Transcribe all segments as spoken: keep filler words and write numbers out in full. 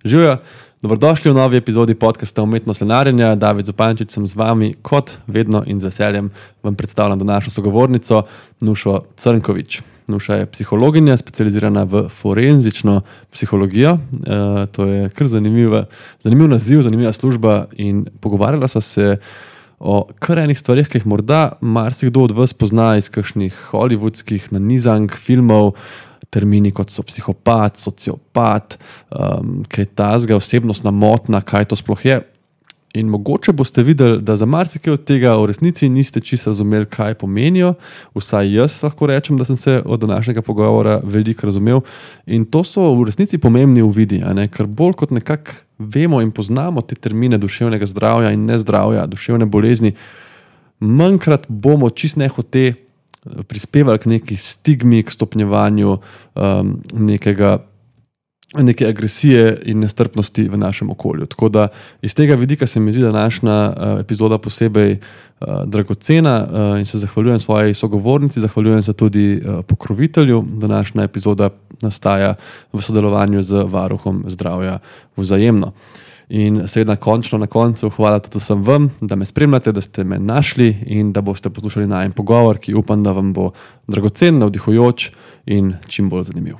Živijo, dobrodošli v novi epizodi podcasta Umetnost lenarjenja. David Zupančič sem z vami, kot vedno in z veseljem vam predstavljam današnjo sogovornico Nušo Crnković. Nuša je psihologinja, specializirana v forenzično psihologijo. E, to je kar zanimiva, zanimiv naziv, zanimiva služba in pogovarjala sva se o kar enih stvarih, ki jih morda marsikdo od vas pozna iz kakšnih hollywoodskih nanizank, filmov, termini kot so psihopat, sociopat, um, kaj tazga, osebnostna motnja, kaj to sploh je. In mogoče boste videli, da za marsikaj od tega v resnici niste čisto razumeli, kaj pomenijo. Vsaj jaz lahko rečem, da sem se od današnjega pogovora veliko razumel. In to so v resnici pomembni uvidi, a ne? Ker bolj kot nekako vemo in poznamo te termine duševnega zdravja in nezdravja, duševne bolezni, manjkrat bomo čist nehote prispevali k neki stigmi, k stopnjevanju um, nekega, neke agresije in nestrpnosti v našem okolju. Tako da iz tega vidika se mi zdi današnja uh, epizoda posebej uh, dragocena uh, in se zahvaljujem svoji sogovornici, zahvaljujem se tudi uh, pokrovitelju. Današnja epizoda nastaja v sodelovanju z Varuhom zdravja Vzajemno. In seveda končno na koncu hvala tudi vsem vam, da me spremljate, da ste me našli in da boste poslušali najin pogovor, ki upam, da vam bo dragocen, navdihujoč in čim bolj zanimiv.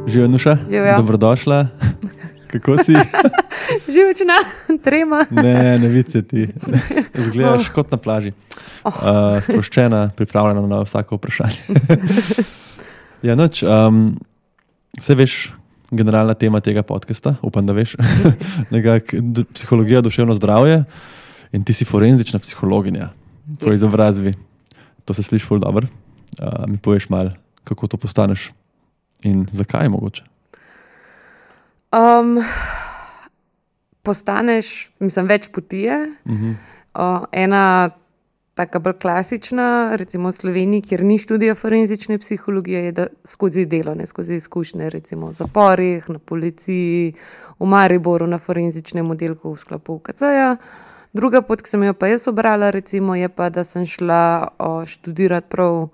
Živijo, Nuša? Živijo. Dobrodošla. Kako si? Živčna, trema. Ne, ne vidi se ti. Zgledaš oh. kot na plaži. Oh. Uh, sproščena, pripravljena na vsako vprašanje. ja, noč, um, vse veš, generalna tema tega podcasta, upam, da veš, nekak, d- psihologija, duševno zdravje in ti si forenzična psihologinja. Po izobrazbi. To se sliši ful dobro. Uh, mi poveš malo, kako to postaneš in zakaj mogoče? Um, postaneš, mislim, več poti je. Uh-huh. Uh, ena taka bolj klasična, recimo v Sloveniji, kjer ni študija forenzične psihologije, je da skozi delo, ne skozi izkušnje, recimo v zaporih, na policiji, v Mariboru, na forenzičnem oddelku v sklopu U K C-ja. Druga pot, ki sem jo pa jaz obrala, recimo, je pa, da sem šla uh, študirati prav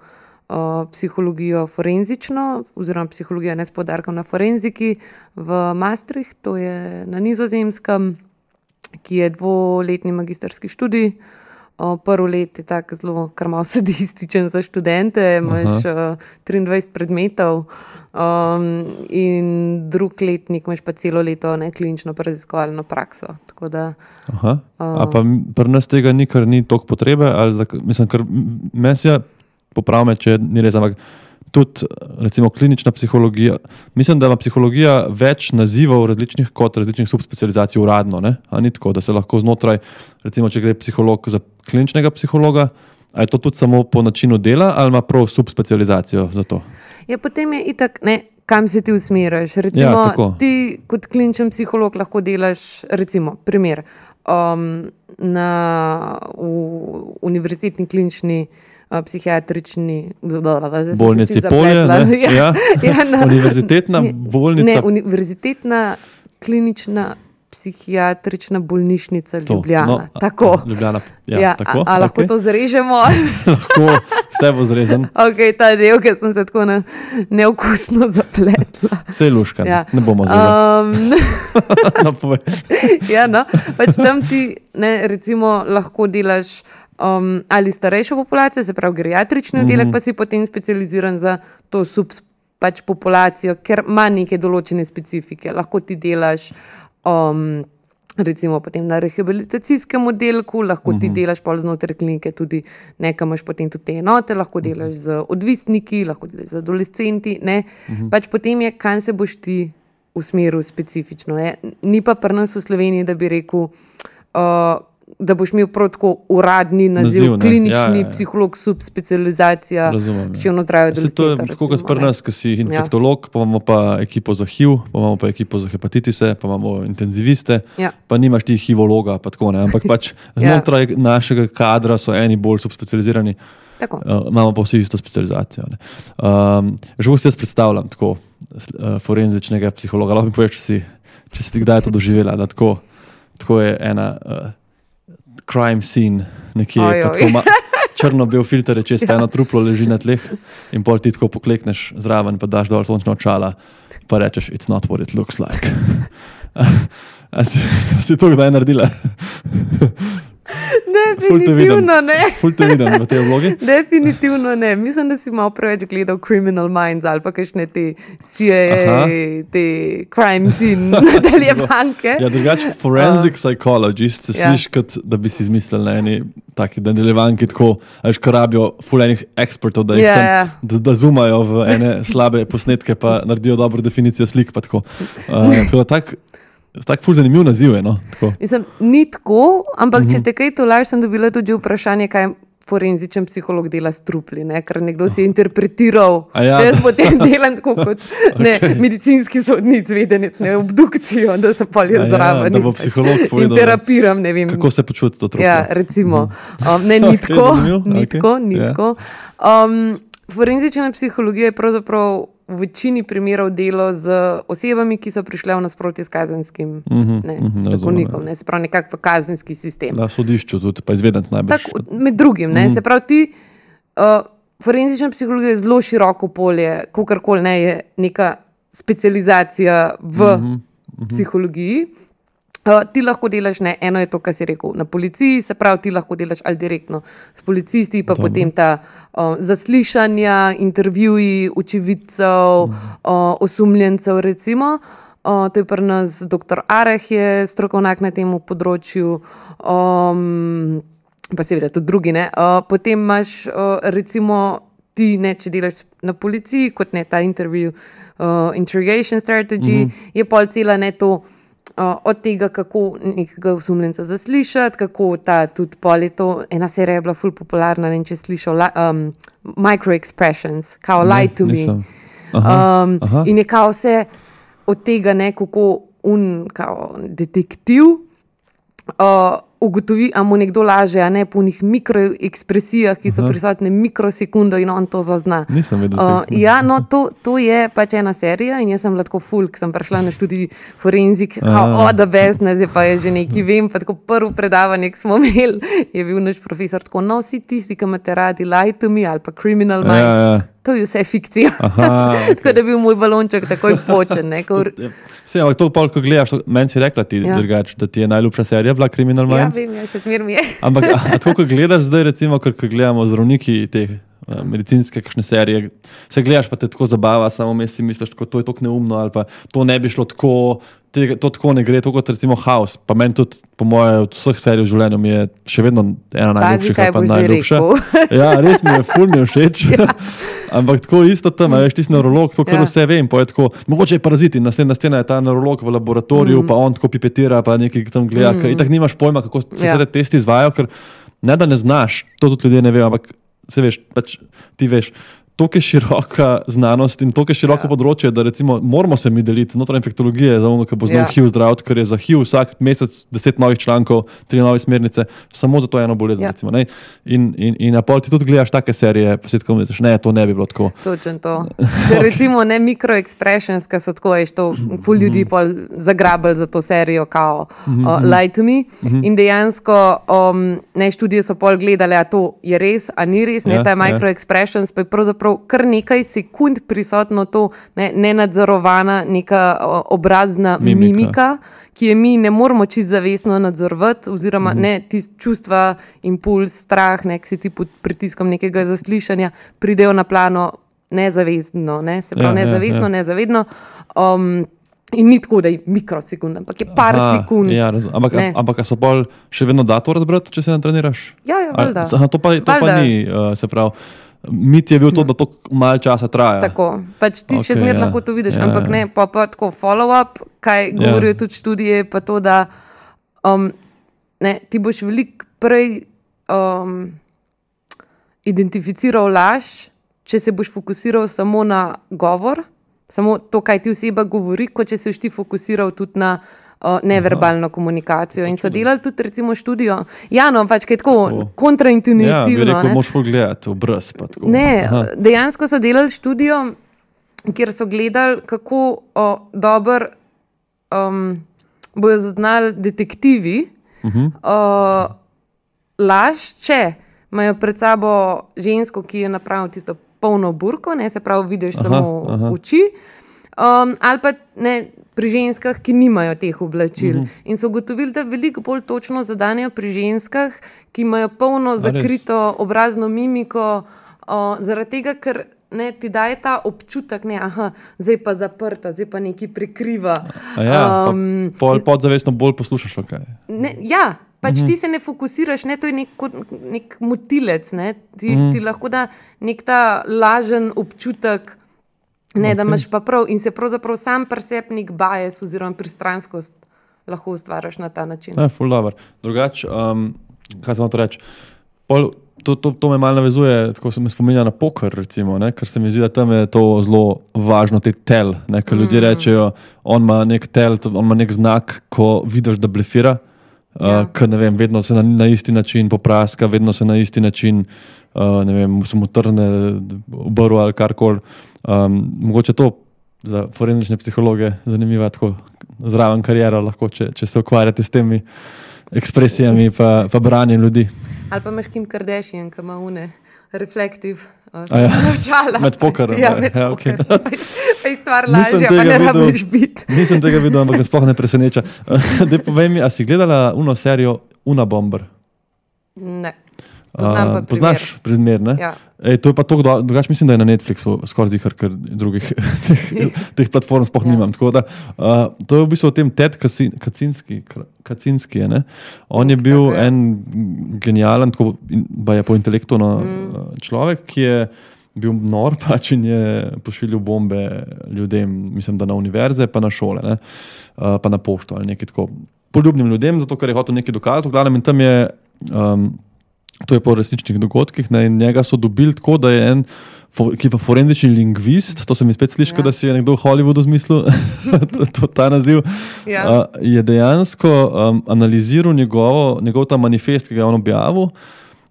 Uh, psihologijo forenzično oziroma psihologijo ne s poudarkom na forenziki v Maastricht, to je na Nizozemskem, ki je dvoletni magisterski študij. Uh, prvo let je tako zelo kar malo sadističen za študente, imaš uh, triindvajset predmetov um, in drug letnik imaš pa celo leto ne, klinično raziskovalno prakso. Tako da, Aha. Uh, A pa pri nas tega ni, ker ni toliko potrebe? Ali za, mislim, ker mesja popravme, če ni res, ampak tudi recimo klinična psihologija. Mislim, da ima psihologija več nazivov različnih kot različnih subspecializacij uradno, ne? A ni tako, da se lahko znotraj, recimo, če gre psiholog za kliničnega psihologa, a je to tudi samo po načinu dela ali ima prav subspecializacijo za to? Ja, potem je itak, ne, kam se ti usmeriš. Recimo, ja, ti kot kliničen psiholog lahko delaš, recimo, primer, um, na v univerzitetni klinični Uh, psihiatrični bolnici Polje, ne? ja, ja. ja, na, univerzitetna bolnica. Ne, univerzitetna klinična psihiatrična bolnišnica Ljubljana. No, tako. Ljubljana, ja, ja, tako. A, a lahko okay. to zrežemo? Lahko, vse bo zrezan. Ok, ta del, ker sem se tako ne, neokusno zapletla. Vse je luška, ja. Ne bomo zrezali. Um, no, ja, no, pač tam ti, ne, recimo, lahko delaš Um, ali starejšo populacijo, se pravi geriatrični oddelek, mm-hmm. pa si potem specializiran za to sub pač populacijo, ker ima neke določene specifike. Lahko ti delaš um, recimo potem na rehabilitacijskem oddelku, lahko mm-hmm. ti delaš pol znotraj klinike tudi nekaj, imaš potem tudi te enote, lahko delaš z odvisniki, lahko delaš z adolescenti, ne. Mm-hmm. Pač potem je, kam se boš ti usmeril specifično. Je. Ni pa pri nas v Sloveniji, da bi rekel uh, da boš imel prav tako uradni naziv, naziv klinični ja, ja. psiholog, subspecializacija, duševno zdravje adolescenta. To je tako kot pri nas, ki si infektolog, ja. pa imamo pa ekipo za H I V, pa imamo pa ekipo za hepatitise, pa imamo intenziviste, ja. pa nimaš ti hivologa, pa tako ne, ampak pač znotraj ja. našega kadra so eni bolj subspecializirani, uh, imamo pa vsi isto specializacijo. Um, že vsi jaz predstavljam tako uh, forenzičnega psihologa, lahko mi poveš, če si, če si ti kdaj to doživela, da tako, tako je ena uh, crime scene nekje, Oj, pa oj. tako ma, črno-bel filter je čez, pa eno truplo leži na tleh in pol ti tako poklekneš zraven, pa daš dol sončna očala, pa rečeš, it's not what it looks like. A si, si to kdaj naredila? Definitivno ne. Ful te vidim v tej vlogi. Definitivno ne. Mislim, da si malo preveč gledal Criminal Minds ali pa kakšne te C I A, Aha. te crime scene nadaljevanke. Ja, drugače forensic psychologist se Ja. sliši, kot da bi si izmislili na eni taki nadaljevanki tako, a veš, ko rabijo ful enih ekspertov, da, jih Ja, tam, ja. da, da zumajo v ene slabe posnetke, pa naredijo dobro definicijo slik. Pa tako. Uh, tako da tak, tak ful zanimiv naziv je. No? Tako. Mislim, ni tako, ampak uh -huh. če te kaj tolaž, sem dobila tudi vprašanje, kaj forenzičen psiholog dela s trupli, ne? Ker nekdo si je interpretiral, A ja, da jaz da- potem delam tako kot ne, medicinski sodni izvedenec, ne, obdukcijo, da se polje A ja, zraven da in bo pač psiholog povedal, in terapiram, ne vem. Kako se počuti to truplo? Ja, recimo. Um, ne, ni Ok, tako, zanimivo, ni ok, tako, ni ja. tako. Um, forenzična psihologija je pravzaprav v večini primerov delo z osebami, ki so prišle v nasprotje s kazenskim Mhm, ne, mhm, razumem, zakonikom, ne, se pravi nekako v kazenski sistem. Na sodišču tudi, pa izvedenc najbrž. Tak, med drugim, ne, se pravi ti, uh, forenzična psihologija je zelo široko polje, kakorkoli ne je neka specializacija v psihologiji. Uh, ti lahko delaš, ne, eno je to, kar si rekel, na policiji, se pravi, ti lahko delaš ali direktno s policisti, pa Dobro. potem ta uh, zaslišanja, intervjuji očividcev, uh, osumljencev, recimo. Uh, to je pri nas doktor Areh, je strokovnjak na tem področju, um, pa seveda tudi drugi. Ne. Uh, potem imaš, uh, recimo, ti, ne, če delaš na policiji, kot ne ta intervju, uh, interrogation strategy, mm -hmm. je pol cela ne to. Uh, od tega, kako nekega osumljenca zaslišati, kako ta tudi pol je to, ena serija je bila ful popularna, ne vem, če si slišal, li- um, micro-expressions, kao Ne, lie to nisem. me. Aha, Um, aha. in je kao vse od tega, ne, kako un kao detektiv uh, ugotovi, a mu nekdo laže, a ne po njih mikroekspresijah, ki so Aha. prisotne mikrosekundo in on to zazna. Nisem vedel Uh, tega. ja, no, to, to je pač ena serija in jaz sem bila tako ful, ker sem prišla na študij forenzik, kao, o, da best, ne, zdaj pa je že nekaj vem, pa tako prvo predavanje, ki smo imeli, je bil naš profesor tako, no, vsi tisti, ki imate radi Lie to me ali pa Criminal Minds, Ja, ja. to je vse fikcija. Aha, Tako da je bil moj balonček takoj počen, ne, ko, Vse, ampak to pol, ko gledaš, to, meni si rekla ti, Ja. drugač, da ti je najljubša serija bila Criminal ja, Minds. vem, ja, še smer mi je. Ampak a, a tako, ko gledaš zdaj, recimo, ker ko gledamo zdravniki te uh, medicinske kakšne serije, se gledaš, pa te tako zabava, samo mes si misliš, tako, to je tako neumno, ali pa to ne bi šlo tako, tega, to tako ne gre, to kot recimo House. Pa meni tudi, po moje, od vseh serij v življenju mi je še vedno ena Pazi, najljubših, kaj ali pa boš zdaj najljubša. rekel. Ja, res mi je, ful mi je všeč. Ja. Ampak tako isto tam, a veš, ti si neurolog, to kar Ja. ja. vse vem, pa je tako, mogoče je paraziti, naslednja scena je ta neurolog v laboratoriju, mm. pa on tako pipetira, pa nekaj tam gleda, mm. itak nimaš pojma, kako se Ja. ja. te testi izvajajo, ker ne da ne znaš, to tudi ljudje ne vejo, ampak se veš, pač ti veš, to je široka znanost in to je široko Ja. ja. področje, da recimo moramo se mi deliti znotraj infektologije, za ono, ki bo znal Ja. H I V zdraviti, ker je za H I V vsak mesec deset novih člankov, tri nove smernice, samo za to eno bolezen. Ja. Recimo, ne. in in, in na pol ti tudi gledaš take serije, pa si tako misliš, ne, to ne bi bilo tako. Točno to. Ker recimo ne micro-expressions, ki so tako, veš, to ful ljudi pol zagrabili za to serijo, kao uh, Lie to me. In dejansko um, ne, študije so pol gledali, a to je res, a ni res, ne, Ja, ta ja. micro-expressions, pa je pravzaprav kar nekaj sekund prisotno to ne, nenadzorovana neka o, obrazna mimika. Mimika. mimika, ki je mi ne moramo čisto zavestno nadzorovati, oziroma mm -hmm. ne tist čustva, impuls, strah, ne, ki si ti pod pritiskom nekega zaslišanja pridejo na plano nezavestno, ne, se pravi Ja, ja, nezavestno, ja. nezavedno. Um, in ni tako, da je mikrosekund, ampak je par Aha, sekund. Ja, razum- ampak, Ne. ampak a so pol še vedno da to razbrati, če se ne treniraš? Ja, ja, Ali- valjda. Aha, to pa, to pa Valjda. ni, uh, se pravi. Mit je bil to, da to malo časa traja. Tako, pač ti okay, še Okej, zmeraj ja. lahko to vidiš, Ja, ampak ja. ne, pa, pa tako follow-up, kaj govorijo tudi študije, pa to, da um, ne, ti boš veliko prej um, identificiral laž, če se boš fokusiral samo na govor, samo to, kaj ti oseba govori, kot če se boš ti fokusiral tudi na uh, neverbalno komunikacijo. In so delali tudi recimo študijo. Ja, no, pač kaj je tako Ja, bi kontraintuitivno. rekel, ne. moš ful gledati, obraz pa tako. Ne, Aha. dejansko so delali študijo, kjer so gledali, kako o, dobro um, bojo zaznali detektivi, uh -huh. uh, laž, če imajo pred sabo žensko, ki je napravila tisto polno burko, ne, se pravi, vidiš aha, samo aha. oči, um, ali pa ne, pri ženskah, ki nimajo teh oblačil. Uh-huh. In so ugotovili, da veliko bolj točno zadanejo pri ženskah, ki imajo polno zakrito obrazno mimiko, uh, zaradi tega, ker ne, ti daje ta občutek, ne, aha, zdaj pa zaprta, zdaj pa nekaj prikriva. Ja, um, pa podzavestno bolj poslušaš, kaj? Ne, ja, pač uh-huh. ti se ne fokusiraš, ne, to je nek, nek motilec, ne, ti, uh-huh. ti lahko da nek ta lažen občutek, ne, okay. da imaš pa prav in se pravzaprav sam pri sebi nek bias oziroma pristranskost lahko ustvaraš na ta način. Ja, ful dobro. Drugač, um, kaj sem to reči, pol To, to, to me malo navezuje, tako se me spominja na poker, recimo, ne? Ker se mi zdi, da tam je to zelo važno, te tel, ne? Ker ljudje rečejo, on ima nek tel, on ima nek znak, ko vidiš, da blefira, ja. uh, ker ne vem, vedno se na, na isti način popraska, vedno se na isti način, uh, ne vem, se mu trne obrv ali karkoli. Um, mogoče to za forenzične psihologe zanimiva, tako zraven karijera lahko, če, če se ukvarjate s temi ekspresijami pa, pa branjem ljudi. Ali pa imaš Kim Kardashian, ki ima une reflektiv uh, ja. očala. Med pokerom. Ja, med ja, pokerom. Okay. Pa je stvar lažja, pa ne rabiš biti. Nisem tega videl, ampak me sploh ne preseneča. Dej povej mi, a si gledala uno serijo Unabomber? Ne. Poznam pa primer. Poznaš primer, ne? Ja. Ej, to je pa to, drugač mislim, da je na Netflixu skoraj zihar, ker drugih teh, teh platform sploh ja. nimam. Tako da, uh, to je v bistvu o tem Ted Kaczynski, Kaczynski je, ne? On je bil tako, en genijalen, tako ba je po intelektu no, mm. človek, ki je bil nor pač in je pošiljal bombe ljudem, mislim, da na univerze, pa na šole, ne? Uh, pa na pošto ali nekaj tako poljubnim ljudem, zato ker je hotel nekaj dokazati, v glavnem in tam je um, to je po resničnih dogodkih, ne, in njega so dobili tako, da je en, ki je pa forenzični lingvist, to se mi spet sliši, ja. da si je nekdo v Hollywoodu zmislil, to, to, ta naziv, ja. uh, je dejansko um, analiziral njegovo, njegov ta manifest, ki ga je on objavil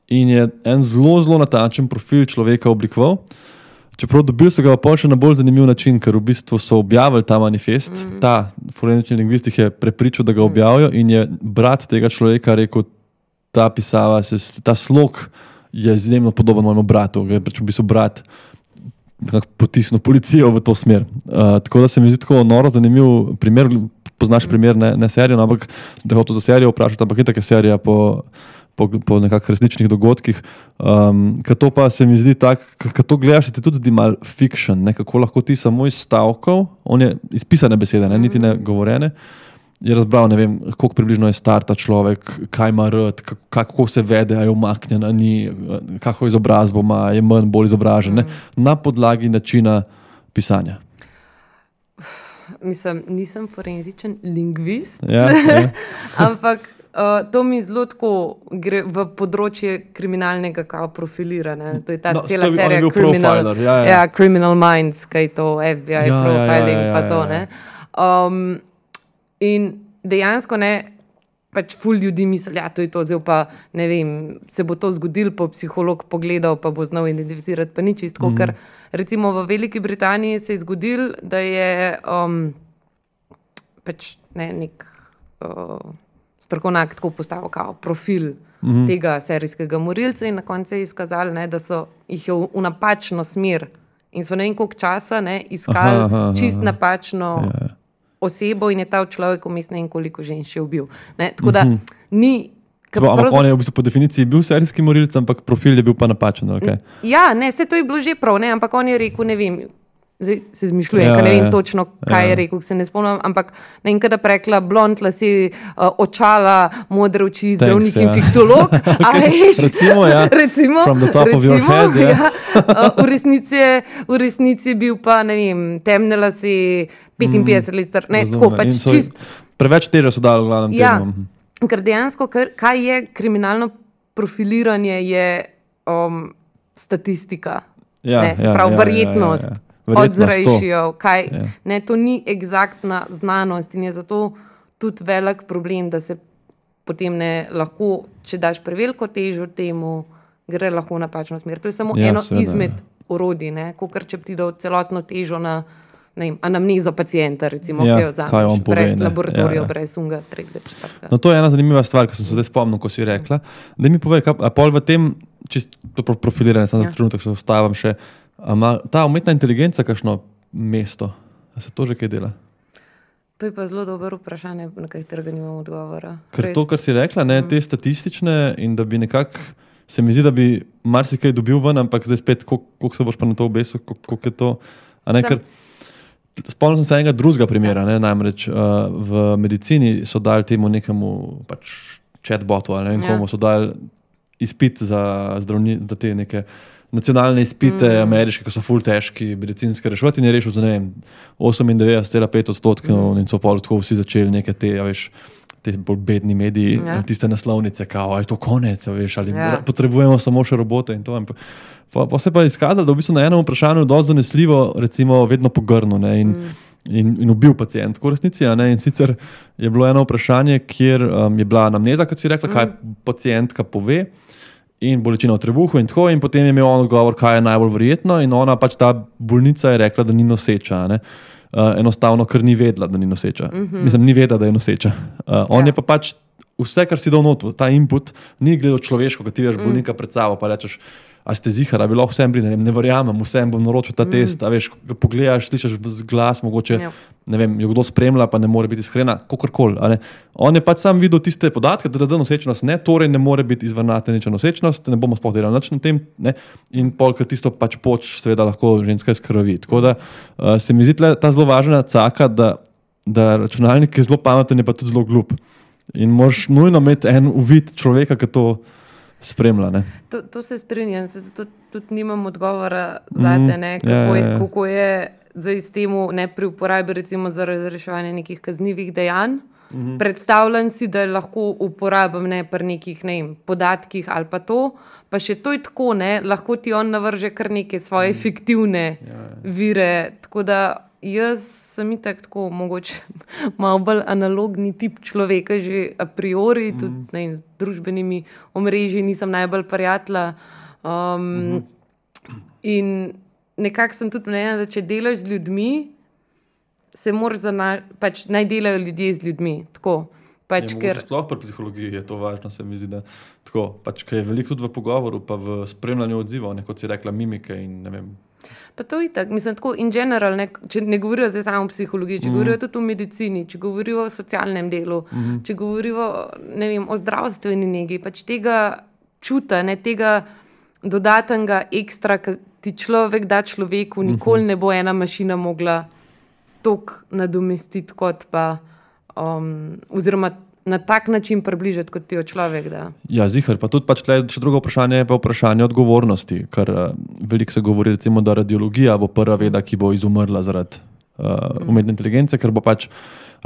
in je en zelo, zelo natančen profil človeka oblikoval. Čeprav dobil so ga pa še na bolj zanimiv način, ker v bistvu so objavili ta manifest, mm. ta forenzični lingvist jih je prepričal, da ga objavijo in je brat tega človeka rekel, ta pisava, se, ta slog je izjemno podoben mojemu bratu, ga je pač v bistvu brat potisnil policijo v to smer. Uh, tako da se mi zdi tako noro zanimiv primer, poznaš primer, ne, ne serijo, ampak sem te hotel za serijo vprašati, ampak je taka serija po, po, po nekak resničnih dogodkih. Um, ker to pa se mi zdi tak, ker to gledaš, se ti tudi zdi mal fiction, ne, kako lahko ti samo iz stavkov, on je izpisane besede, ne, niti ne govorene, je razbral, ne vem, koliko približno je star ta človek, kaj ima rad, kako se vede, a je umaknjen, a ni, kako izobrazbo ima, je manj, bolj izobražen, ne? Na podlagi načina pisanja. Mislim, nisem forenzičen lingvist, ja, ja. ampak uh, to mi zelo tako gre v področje kriminalnega kao profiliranja. To je ta no, cela serija criminal, ja, ja. Ja, Criminal Minds, kaj je to, F B I ja, profiling, ja, ja, ja, pa to, ja, ja. ne. Um, In dejansko ne, pač ful ljudi misli, ja, to je to, zdaj pa ne vem, se bo to zgodilo, pa psiholog pogledal, pa bo znal identificirati, pa ni čisto, mm. ker recimo v Veliki Britaniji se je zgodilo, da je um, pač ne, nek uh, strokovnjak tako postavil kao profil mm. tega serijskega morilca in na koncu je izkazali, ne, da so jih je v, v napačno smer in so ne vem koliko časa ne, iskali aha, aha, čist aha. napačno yeah. osebo in je ta človek vmes ne vem koliko žen še ubil. Ne? Tako da mm-hmm. ni... Zbo, ampak prav... on je v bistvu po definiciji bil serijski morilc, ampak profil je bil pa napačen. Okay? Ja, ne, vse to je bilo že prav, ne? Ampak on je rekel, ne vem, zdaj se zmišljujem, ja, ker ne vem ja, točno, kaj ja. je rekel, se ne spomnim, ampak ne vem, kada prekla blond lasi, uh, očala, modre oči, zdravnik Thanks, in ja. fiktolog. okay. veš, recimo, ja. recimo, From the top recimo, of your head. Ja. Ja. Uh, v, resnici je, v resnici je bil pa, ne vem, temne lasi, petinpetdeset mm, let, ne, tako pač so, čist. Preveč težo so dali v glavnem ja, temu. Ker dejansko, kar, kaj je kriminalno profiliranje, je um, statistika. Ja, ne, ja, prav, ja, verjetnost. Ja, ja, ja. Odzrejšijo, kaj, ja. ne, to ni egzaktna znanost in je zato tudi velik problem, da se potem ne lahko, če daš preveliko težo temu, gre lahko v napačno smer. To je samo ja, eno seveda, izmed ja. orodij, ne, kakor če bi ti dal celotno težo na ne vem, anamnezo pacienta, recimo, Ja, ki jo kaj on vzameš, pove, brez ne. laboratorijev, Ja, ja. brez unga, tretjega, četrtega. No, to je ena zanimiva stvar, ki sem se zdaj spomnil, ko si rekla. Da mi povej, kaj, a pol v tem, čisto pro- profiliranje, sem Ja. za trenutek se ustavim še, a ima ta umetna inteligenca kakšno mesto? A se to že kaj dela? To je pa zelo dobro vprašanje, na katerega nimam odgovora. Ker Res. to, kar si rekla, ne, te statistične in da bi nekako, se mi zdi, da bi marsikaj dobil ven, ampak zdaj spet, koliko koliko se boš pa na to obesil, koliko koliko je to. A ne, Sam- ker spomnim se enega drugega primera, ne, namreč uh, v medicini so dali temu nekemu pač chatbotu ali ne vem Ja. komu, so dali izpit za zdravni, za te neke nacionalne izpite mm. ameriške, ki so ful težki, medicinske reševati in je rešil za ne vem osemindevetdeset cela pet odstotkov mm. in so pol tako vsi začeli neke te, a veš, te bolj bedni mediji, Ja. tiste naslovnice, kao, a je to konec, a veš, ali Ja. potrebujemo samo še robote in to. In pa, pa, pa se je pa izkazalo, da v bistvu na enem vprašanju dosti zanesljivo, recimo, vedno pogrnil ne, in, mm. in, in ubil pacient, v resnici. A ne, in sicer je bilo eno vprašanje, kjer um, je bila anamneza, kot si rekla, mm. kaj pacientka pove in bolečina v trebuhu in tako, in potem je imel on odgovor, kaj je najbolj verjetno, in ona pač ta bolnica je rekla, da ni noseča. A ne. Uh, enostavno, ker ni vedela, da ni noseča. Mm -hmm. Mislim, ni vedela, da je noseča. Uh, on Ja. je pa pač vse, kar si dal not, ta input, ni gledal človeško, ko ti veš bolnika pred sabo, pa rečeš, a ste zihar, a bi lahko vsem bili, ne, vem, ne verjamem, vsem bom naročil ta mm. test, a veš, ko pogledaš, slišiš glas, mogoče, Ja. ne vem, jo kdo spremlja, pa ne more biti iskrena, kakorkoli. On je pač sam videl tiste podatke, da da nosečnost ne, torej ne more biti izvrnatenična nosečnost, ne bomo sploh delali nič na tem, ne, in polk tisto pač poč, seveda lahko ženska izkrvi. Tako da uh, se mi zdi tle ta zelo važna caka, da, da računalnik je zelo pameten, je pa tudi zelo glup. In moraš nujno imeti en uvid človeka, ki to spremlja. Ne? To, to se strinjam, se zato tudi nimam odgovora zate, ne, kako, ja, ja, je, ja. kako je zdaj s temu ne pri uporabi recimo za razreševanje nekih kaznivih dejanj. Mm-hmm. Predstavljam si, da lahko uporabim ne pri nekih ne vem, podatkih ali pa to, pa še to je tako, ne, lahko ti on navrže kar neke svoje mm. fiktivne ja, ja. vire, tako da jaz sem itak tako mogoče malo bolj analogni tip človeka že a priori, mm. tudi ne vem, z družbenimi omrežji nisem najbolj prijatelja. Um, mm-hmm. In nekako sem tudi mnenja, da če delaš z ljudmi, se moraš zana, pač naj delajo ljudje z ljudmi. Tako, pač, je, ker, sploh pri psihologiji je to važno, se mi zdi, da tako, pač, ker je veliko tudi v pogovoru, pa v spremljanju odzivov, ne, kot si rekla, mimike in ne vem. Pa to je tako, mislim, tako in general, ne, če ne govorijo zdaj samo o psihologiji, če mm. govorijo tudi o medicini, če govorijo o socialnem delu, mm. če govorijo ne vem, o zdravstveni negi, pač tega čuta, ne, tega dodatnega ekstra, ki ti človek da človeku, nikoli mm-hmm. ne bo ena mašina mogla toliko nadomestiti kot pa, um, oziroma na tak način približati, kot ti jo človek da. Ja, zihar, pa tudi pač tle še drugo vprašanje je pa vprašanje odgovornosti, ker uh, veliko se govori recimo, da radiologija bo prva veda, ki bo izumrla zaradi uh, umetne inteligence, ker bo pač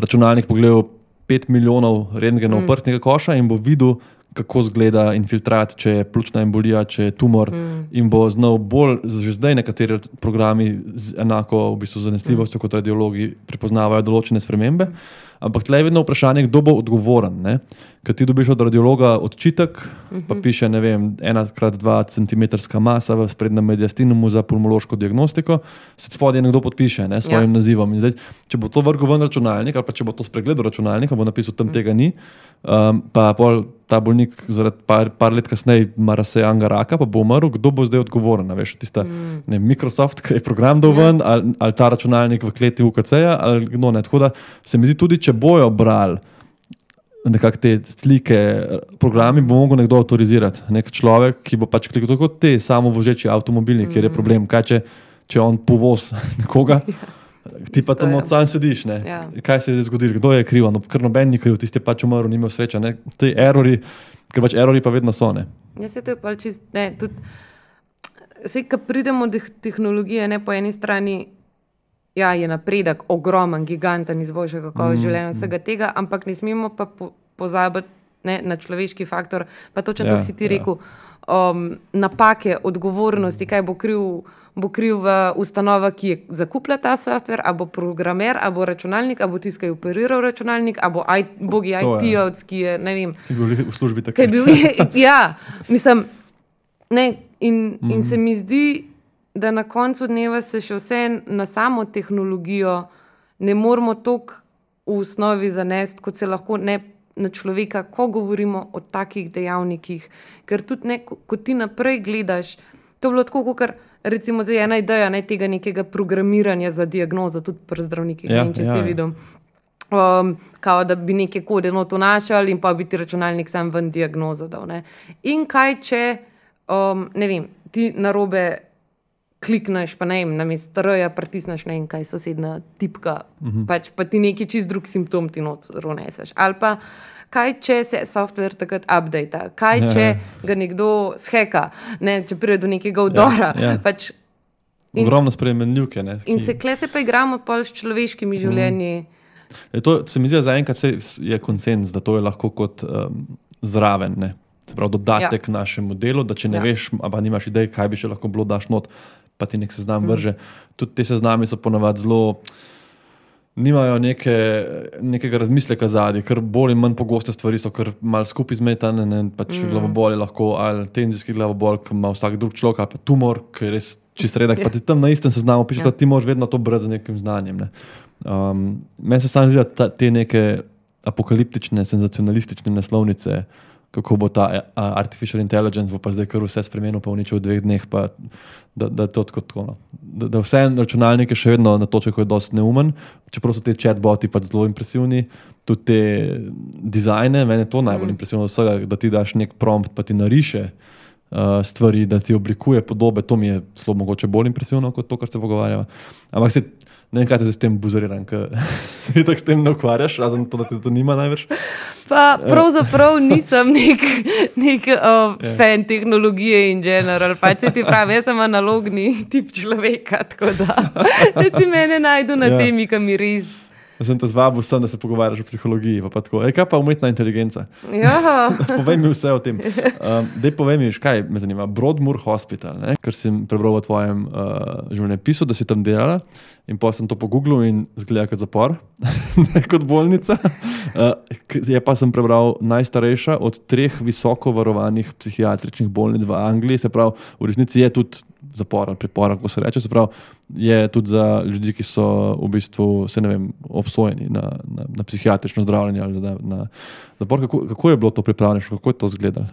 računalnik pogledal pet milijonov rentgenov mm. prstnega koša in bo videl, kako zgleda infiltrat, če je pljučna embolija, če je tumor mm. in bo znal bolj, že zdaj nekateri programi z enako v bistvu zanesljivostjo mm. kot radiologi prepoznavajo določene spremembe, ampak tle je vedno vprašanje, kdo bo odgovoren, ne? Ker ti dobiš od radiologa odčitek, mm-hmm. pa piše, ne vem, ena krat dva centimetrska masa v sprednjem mediastinumu za pulmološko diagnostiko, se spodaj nekdo podpiše, ne, s svojim ja. nazivom. In zdaj, če bo to vrgel ven računalnik ali pa če bo to spregledal računalnik, bo napisal, tam mm. tega ni, um, pa pol ta bolnik zaradi par, par let kasneje ima razsejanga raka, pa bo umrl, kdo bo zdaj odgovoren, veš, tista mm. ne, Microsoft, ki je program dal ven, ja. ali, ali ta računalnik v kleti U K C-ja, ali kdo ne. Tako da se mi zdi tudi, če bojo brali nekako te slike, programi bo mogel nekdo avtorizirati. Nek človek, ki bo pač klikal tako te samovožeči avtomobili, mm. kjer je problem. Kaj če, če on povoz nekoga, ti pa tam od sam sediš, ne? Ja. Kaj se je zgodilo, kdo je kriv? No, ker noben ni kriv, tisti je pač umrl, ni imel sreča. Ne? Te errori, ker pač errori pa vedno so, ne? Ja, se to je pa čist, ne, tudi, se, ko pridemo do tehnologije, ne, po eni strani, ja, je napredek ogromen, giganten, izboljša kakovost mm, življenja, vsega mm. tega, ampak ne smemo pa po, pozabiti ne, na človeški faktor, pa točno ja, to, si ti ja. rekel, um, napake, odgovornosti, kaj bo kriv, bo kriv ustanova, ki je zakupila ta software, a bo programer, a bo računalnik, a bo tisti, ki je operiral računalnik, a bo I, bogi I T-ovc, ki je, ne vem. Ki je bil v službi takrat. Bil, ja, mislim, ne, in, mm. in se mi zdi, da na koncu dneva se še vse na samo tehnologijo ne moramo toliko v osnovi zanesti, kot se lahko ne na človeka, ko govorimo o takih dejavnikih. Ker tudi ne, ko ti naprej gledaš, to je bilo tako, kot recimo zdaj ena ideja ne, tega nekega programiranja za diagnozo, tudi pri zdravnikih, ja, ne, če ja, si videl. Um, kao, da bi neke kode not vnašali in pa bi ti računalnik sam ven diagnozo dal. Ne. In kaj, če um, ne vem, ti narobe klikneš, pa ne vem, namesto R-ja pritisneš, ne vem, kaj sosedna tipka, uh-huh. pač pa ti neki čist drug simptom ti not roneseš. Ali pa kaj, če se software takrat updata, kaj, če ga nekdo sheka, ne, če pride do nekega vdora. Ja, ja. Pač, in, ogromno spremenljivke. Ne, in se kle se pa igramo pol s človeškimi uh-huh. življenji. Je to, se mi zdi, zaenkrat je konsens, da to je lahko kot um, zraven, ne? Se pravi dodatek ja. našemu delu, da če ne ja. veš, pa nimaš idej, kaj bi še lahko bilo, daš not, pa ti nek seznam mm. vrže. Tudi te seznami so ponavadi zelo, nimajo neke, nekega razmisleka zadnji, ker bolj in manj pogoste stvari so, ker malo skupaj zmetane, ne, pač mm. glavobol je lahko, ali tenzijski glavobol, ki ima vsak drug človek, ali pa tumor, ki je res čist redek, pa ti tam na istem seznamu piše, ja. da ti moraš vedno to brati z nekim znanjem, ne. Um, meni se samo zdi, da te neke apokaliptične, senzacionalistične naslovnice, kako bo ta uh, artificial intelligence, bo pa zdaj kar vse spremenil, pa v nič v dveh dneh, pa da, da je to tako tako. No. Da, da vse računalnike še vedno na točku je dosti neumen, čeprav so te chatboti pa zelo impresivni, tudi te dizajne, meni je to najbolj mm. impresivno vsega, da ti daš nek prompt, pa ti nariše uh, stvari, da ti oblikuje podobe, to mi je zelo mogoče bolj impresivno kot to, kar se pogovarjava. Ampak se ne vem, kaj te se s tem buzariram, ker se tako s tem ne ukvarjaš, razen to, da te zanima največ. Pa pravzaprav nisem nek, nek uh, yeah. fan tehnologije in general, pa če ti pravi, jaz sem analogni tip človeka, tako da, da si mene najdu na yeah. temi, kam mi res. Jaz sem te zvabil sem, da se pogovarjaš o psihologiji, pa, pa tako, ej, kaj pa umetna inteligenca? Ja. Povej mi vse o tem. Um, dej povej mi, kaj me zanima, Broadmoor Hospital, ne? Ker sem prebral v tvojem uh, življenjepisu, da si tam delala in pa sem to pogooglil in zgleda kot zapor, kot bolnica. Uh, je pa sem prebral najstarejša od treh visoko varovanih psihiatričnih bolnic v Angliji, se pravi, v resnici je tudi zapor ali pripor, kako se reče, se pravi, je tudi za ljudi, ki so v bistvu, se ne vem, obsojeni na, na, na psihiatrično zdravljenje ali na, na zapor. Kako, kako je bilo to pripravljeno, kako je to izgledalo?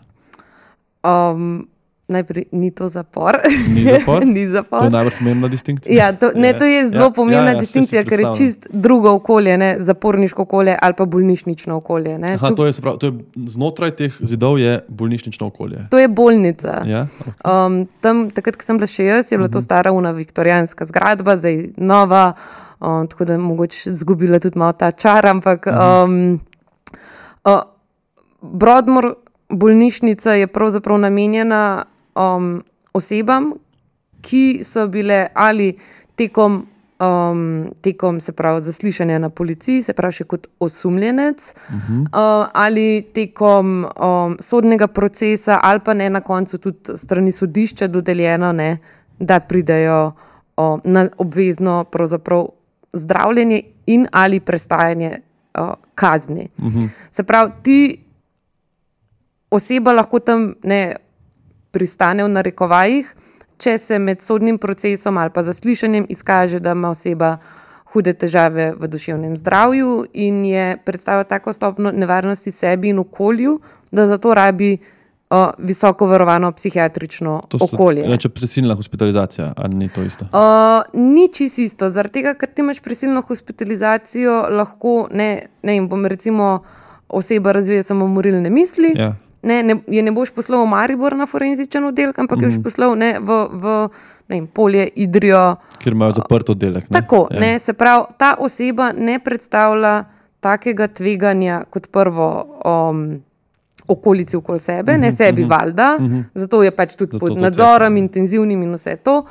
Um, najprej ni to zapor. Ni zapor? Ni zapor. To je najbolj pomembna distinkcija. Ja, to, ne, to je zelo ja, pomembna ja, ja, distinkcija, ker je čist drugo okolje, ne, zaporniško okolje ali pa bolnišnično okolje. Ne. Aha, to je, pravi, to je znotraj teh zidov je bolnišnično okolje. To je bolnica. Ja, okay. um, tam, takrat, ko sem bila še jaz, je bila to stara una viktorijanska zgradba, zdaj nova, um, tako da mogoče zgubila tudi malo ta čar, ampak um, uh, Broadmoor bolnišnica je pravzaprav namenjena Um, osebam, ki so bile ali tekom, um, tekom se pravi, zaslišanja na policiji, se pravi še kot osumljenec, uh-huh. uh, ali tekom um, sodnega procesa, ali pa ne na koncu tudi strani sodišča dodeljeno, ne, da pridejo um, na obvezno pravzaprav zdravljenje in ali prestajanje uh, kazni. Uh-huh. Se pravi, ti oseba lahko tam ne pristane v narekovajih, če se med sodnim procesom ali pa zaslišanjem izkaže, da ima oseba hude težave v duševnem zdravju in je predstavlja tako stopno nevarnosti sebi in okolju, da zato rabi uh, visoko varovano psihiatrično to so, okolje. Reče prisilna hospitalizacija, ali ni to isto? Uh, ni čisto isto, zaradi tega, ker ti imaš prisilno hospitalizacijo, lahko, ne, ne vem, bom recimo oseba razvije samomorilne misli, ja. Ne, ne, je ne boš poslal v Maribor na forenzičen oddelek, ampak mm. je boš poslal ne, v, v ne vem, Polje, Idrijo. Kjer imajo zaprt oddelek. Ne? Tako, ja. ne, se pravi, ta oseba ne predstavlja takega tveganja kot prvo um, okolici okoli sebe, mm-hmm, ne sebi mm-hmm, valjda, mm-hmm. zato je pač tudi zato pod nadzorom, je. intenzivnim in vse to.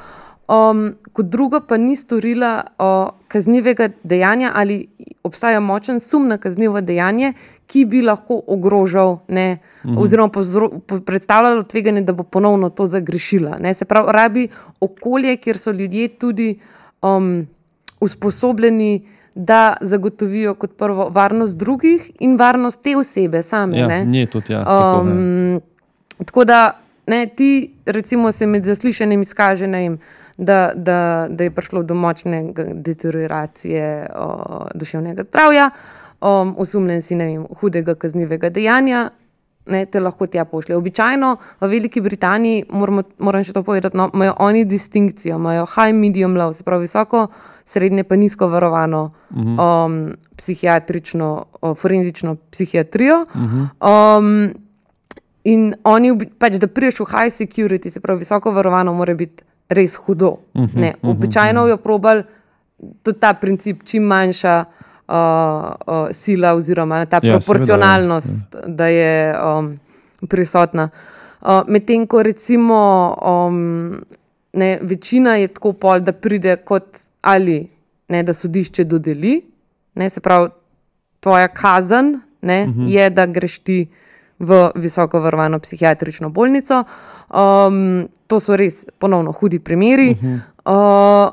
Um, kot drugo pa ni storila uh, kaznivega dejanja ali obstaja močen sum na kaznivo dejanje, ki bi lahko ogrožal, ne, mm-hmm. oziroma pozro, po, predstavljalo tveganje, da bo ponovno to zagrešila. Ne. Se pravi, rabi okolje, kjer so ljudje tudi um, usposobljeni, da zagotovijo kot prvo varnost drugih in varnost te osebe same. Ja, ne. Nje tudi, ja. Tako, um, tako da ne, ti recimo se med zaslišanjem izkaže, ne vem, da, da, da je prišlo do močne deterioracije o, duševnega zdravja, um, osumljen si, ne vem, hudega kaznivega dejanja, ne, te lahko tja pošlje. Običajno v Veliki Britaniji, moramo, moram še to povedati, no, imajo oni distinkcijo, imajo high, medium, low, se pravi visoko, srednje pa nizko varovano uh-huh. um, psihiatrično, o, forenzično psihiatrijo. Uh-huh. Um, in oni, pač, da priješ v high security, se pravi visoko varovano, mora biti res hudo. Uh-huh. Ne, običajno uh-huh. jo probali tudi ta princip, čim manjša Uh, uh, sila oziroma ta ja, proporcionalnost, seveda, ja. da je um, prisotna. Uh, Medtem, ko recimo um, ne, večina je tako pol, da pride kot ali ne, da sodišče dodeli, ne, se pravi, tvoja kazen ne, uh-huh. je, da greš ti v visoko varovano psihiatrično bolnico. Um, to so res ponovno hudi primeri. Uh-huh. Uh,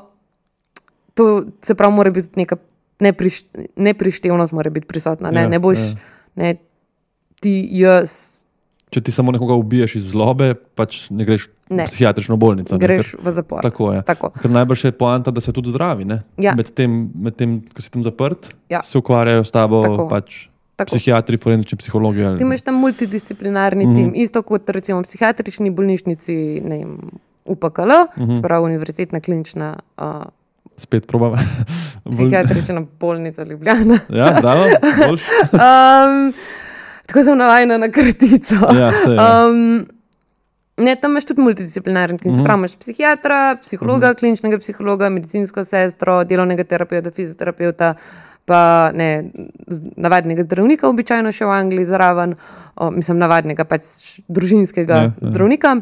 to se pravi, mora biti neka Nepriš, neprištevnost mora biti prisotna. Ne, ja, ne boš ja. ne, ti jaz. Če ti samo nekoga ubiješ iz zlobe, pač ne greš ne. v psihiatrično bolnico. Greš ne, ker, v zapor. Tako je. Tako. Ker najbrž je poanta, da se tudi zdravi. Ja. Med tem, med tem, ko si tam zaprt, ja. se ukvarjajo s tabo pač psihiatri, forenzični psihologi. Ali... Ti imaš tam multidisciplinarni mm-hmm. tim, isto kot recimo v psihiatrični bolnišnici, ne vem, U P K L, mm-hmm. sprav univerzitetna klinična uh, Spet probam. Psihiatrična bolnica Ljubljana. Ja, bravo. um, tako sem navajena na kratico. Ja, se, ja. Um, ne, tam imaš tudi multidisciplinarni tim. Mm-hmm. Se pravi, imaš psihiatra, psihologa, mm-hmm. kliničnega psihologa, medicinsko sestro, delovnega terapeuta, fizioterapeuta, pa ne, navadnega zdravnika, običajno še v Angliji zraven, o, mislim, navadnega pač družinskega ja, zdravnika.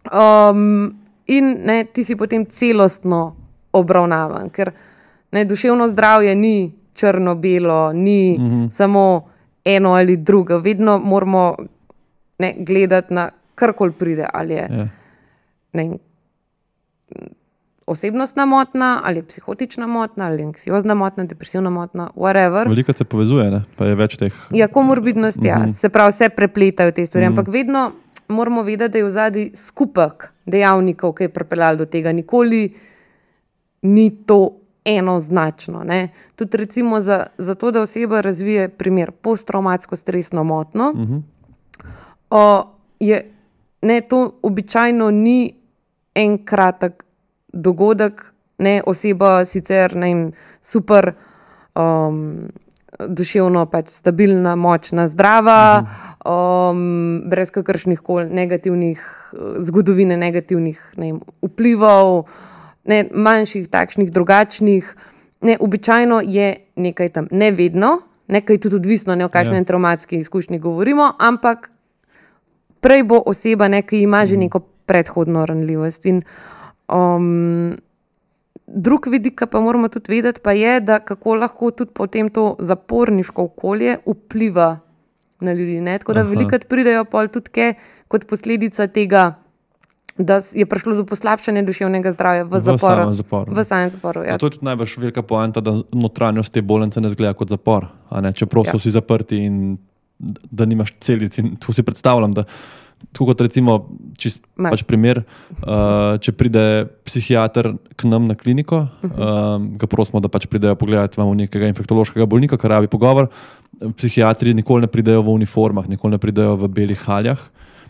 Um, in ne, ti si potem celostno obravnavan, ker ne, duševno zdravje ni črno-belo, ni mm-hmm. samo eno ali drugo. Vedno moramo ne, gledati na karkoli pride, ali je yeah. ne, osebnostna motnja, ali je psihotična motnja, ali je anksiozna motnja, depresivna motnja, whatever. Veliko se povezuje, ne? Pa je več teh. Ja, komorbidnost, mm-hmm. ja, se pravi, vse prepletajo te stvari, mm-hmm. ampak vedno moramo vedeti, da je v zadnji skupek dejavnikov, ki je pripeljal do tega, nikoli ni to enoznačno. Ne? Tudi recimo za, za to, da oseba razvije primer posttraumatsko stresno motnjo, uh-huh. o, je, ne, to običajno ni en kratek dogodek, ne, oseba sicer ne, super um, duševno pač stabilna, močna, zdrava, uh-huh. um, brez kakršnih koli negativnih zgodovine, negativnih ne, vplivov, Ne, manjših, takšnih, drugačnih. Ne, običajno je nekaj tam, ne vedno, nekaj tudi odvisno, ne o kakšni ja. traumatski izkušnji govorimo, ampak prej bo oseba, ki ima že neko predhodno ranljivost. In, um, drug vidik, pa moramo tudi vedeti, pa je, da kako lahko tudi potem to zaporniško okolje vpliva na ljudi. Ne? Tako da velikrat pridejo pol tudi ke, kot posledica tega, da je prišlo do poslabšanja duševnega zdravja v, v zaporu. Samem zaporu. V samem zaporu, ja. To je tudi najbolj velika poanta, da notranjost te bolnice ne izgleda kot zapor. A ne? Čeprav ja. so vsi zaprti in da nimaš celic. In to si predstavljam, da tako kot recimo, čist pač primer, uh, če pride psihiater k nam na kliniko, uh, ga prosimo, da pač pridejo pogledati, imamo nekega infektološkega bolnika, kar rabi pogovor. Psihiatri nikoli ne pridejo v uniformah, nikoli ne pridejo v belih haljah.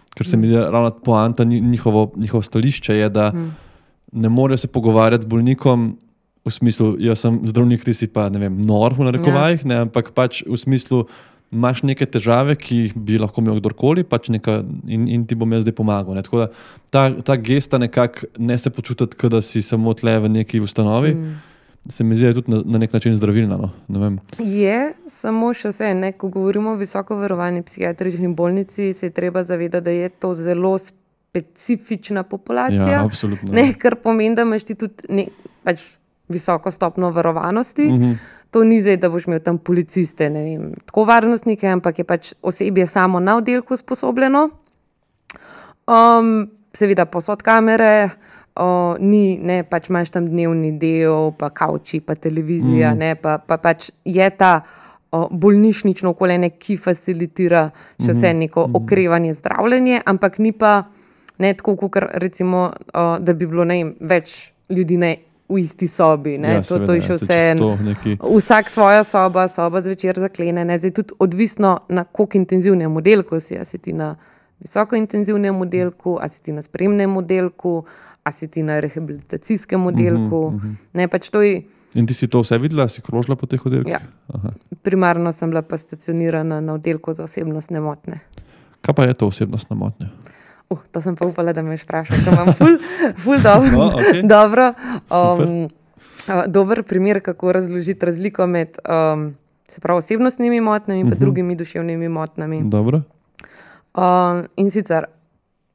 Ker se mi je ravno poanta, njihovo, njihovo stališče je, da mm. ne morejo se pogovarjati z bolnikom v smislu, jaz sem zdravnik, ti si pa, ne vem, nor v narekovajih, ja. ne, ampak pač v smislu, imaš neke težave, ki bi lahko imel kdorkoli, pač neka, in, in ti bom jaz zdaj pomagal. Ne. Tako da ta, ta gesta nekako ne se počutiti, da si samo tle v neki ustanovi, mm. se mi zdi tudi na, na nek način zdravilna. No? Ne vem. Je, samo še vse, ne? Ko govorimo o visoko varovani psihiatrični bolnici, se je treba zavedati, da je to zelo specifična populacija. Ja, absolutno. Ne, kar pomeni, da imaš ti tudi ne, pač visoko stopno varovanosti. Mm-hmm. To ni zdaj, da boš imel tam policiste, ne vem, tako varnostnike, ampak je pač osebje samo na oddelku sposobljeno. Um, seveda posod kamere, O, ni, ne, pač imaš tam dnevni del, pa kauči, pa televizija, mm. ne, pa, pa pač je ta o, bolnišnično okolje, ki facilitira še vse neko mm. okrevanje, zdravljenje, ampak ni pa Ne tako, kot recimo, uh, da bi bilo ne, več ljudi ne, v isti sobi. Ja, to, seveda, to je še vse. Neki... Vsak svoja soba, soba zvečer zaklene. Ne? Zdaj tudi odvisno na koliko intenzivnem oddelku si. A si ti na visokointenzivnem oddelku, a si ti na spremnem oddelku, a si ti na rehabilitacijskem oddelku. Uh-huh, uh-huh. Ne, pač to je... In ti si to vse videla, si krožila po teh oddelkih? Ja. Primarno sem bila pa stacionirana na oddelku za osebnostne motnje. Kaj pa je to osebnostna motnja? Uh, to sem pa upala, da me vprašaš, ker imam ful, ful dobro. No, okay. dobro um, uh, dober primer, kako razložiti razliko med um, se pravi, osebnostnimi motnjami in uh-huh. drugimi duševnimi motnjami. Dobro. Um, in sicer,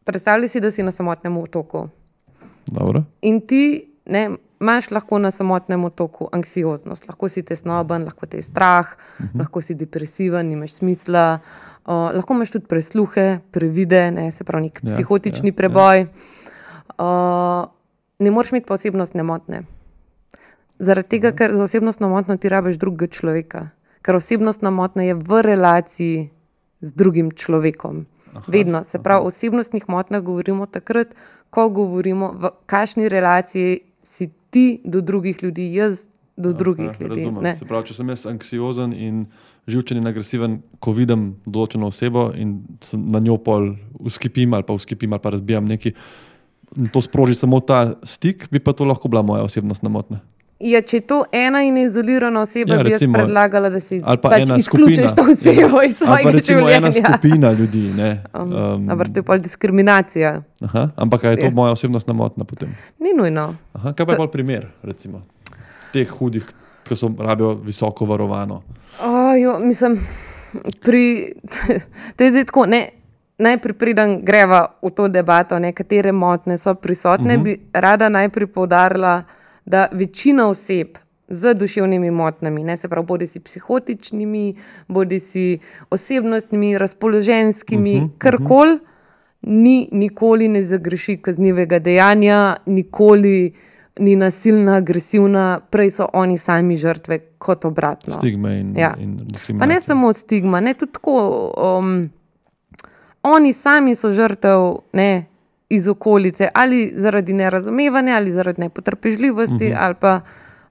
predstavljaj si, da si na samotnem otoku. Dobro. In ti ne, imaš lahko na samotnem otoku anksioznost, lahko si tesnoben, lahko te je strah, uh-huh. lahko si depresiven, nimaš smisla, uh, lahko imaš tudi presluhe, previde, ne, se pravi nek ja, psihotični ja, preboj. Ja. Uh, ne moreš imeti pa osebnostne motnje. Zaradi tega, uh-huh. ker za osebnostno motnjo ti rabiš drugega človeka. Ker osebnostna motnja je v relaciji z drugim človekom. Aha, vedno. Se pravi, o osebnostnih motnjah govorimo takrat, ko govorimo, v kakšni relaciji si ti do drugih ljudi, jaz do aha, drugih ljudi. Razumem. Se pravi, če sem jaz anksiozen in živčen in agresiven, ko vidim določeno osebo in na njo pol uskipim ali pa uskipim ali pa razbijam neki, to sproži samo ta stik, bi pa to lahko bila moja osebnostna motnja. Ja, če je to ena in izolirana oseba, ja, bi recimo, jaz predlagala, da si pa pač izključiš to osebo iz svojega življenja. Ali pa recimo življenja. Ena skupina ljudi. Ne? Um, um, ampak to je pol diskriminacija. Aha, ampak je to ja. moja osebnostna motnja potem? Ni nujno. Aha, kaj pa je pol primer, recimo, teh hudih, ki so rabijo visoko varovano? Oh, jo, mislim, pri, to je zdaj tako, ne, najprej preden greva v to debato, nekatere motnje so prisotne, uh-huh. bi rada najprej poudarila, da večina oseb z duševnimi motnjami, ne, se pravi, bodi si psihotičnimi, bodi si osebnostnimi, razpoloženskimi, uh-huh, karkoli, uh-huh. ni nikoli ne zagreši kaznivega dejanja, nikoli ni nasilna, agresivna, prej so oni sami žrtve kot obratno. Stigma in, ja. in diskriminacija. Pa ne samo stigma, ne, tudi tako, um, oni sami so žrtev, ne, iz okolice, ali zaradi nerazumevanja, ali zaradi nepotrpežljivosti, uh-huh. ali pa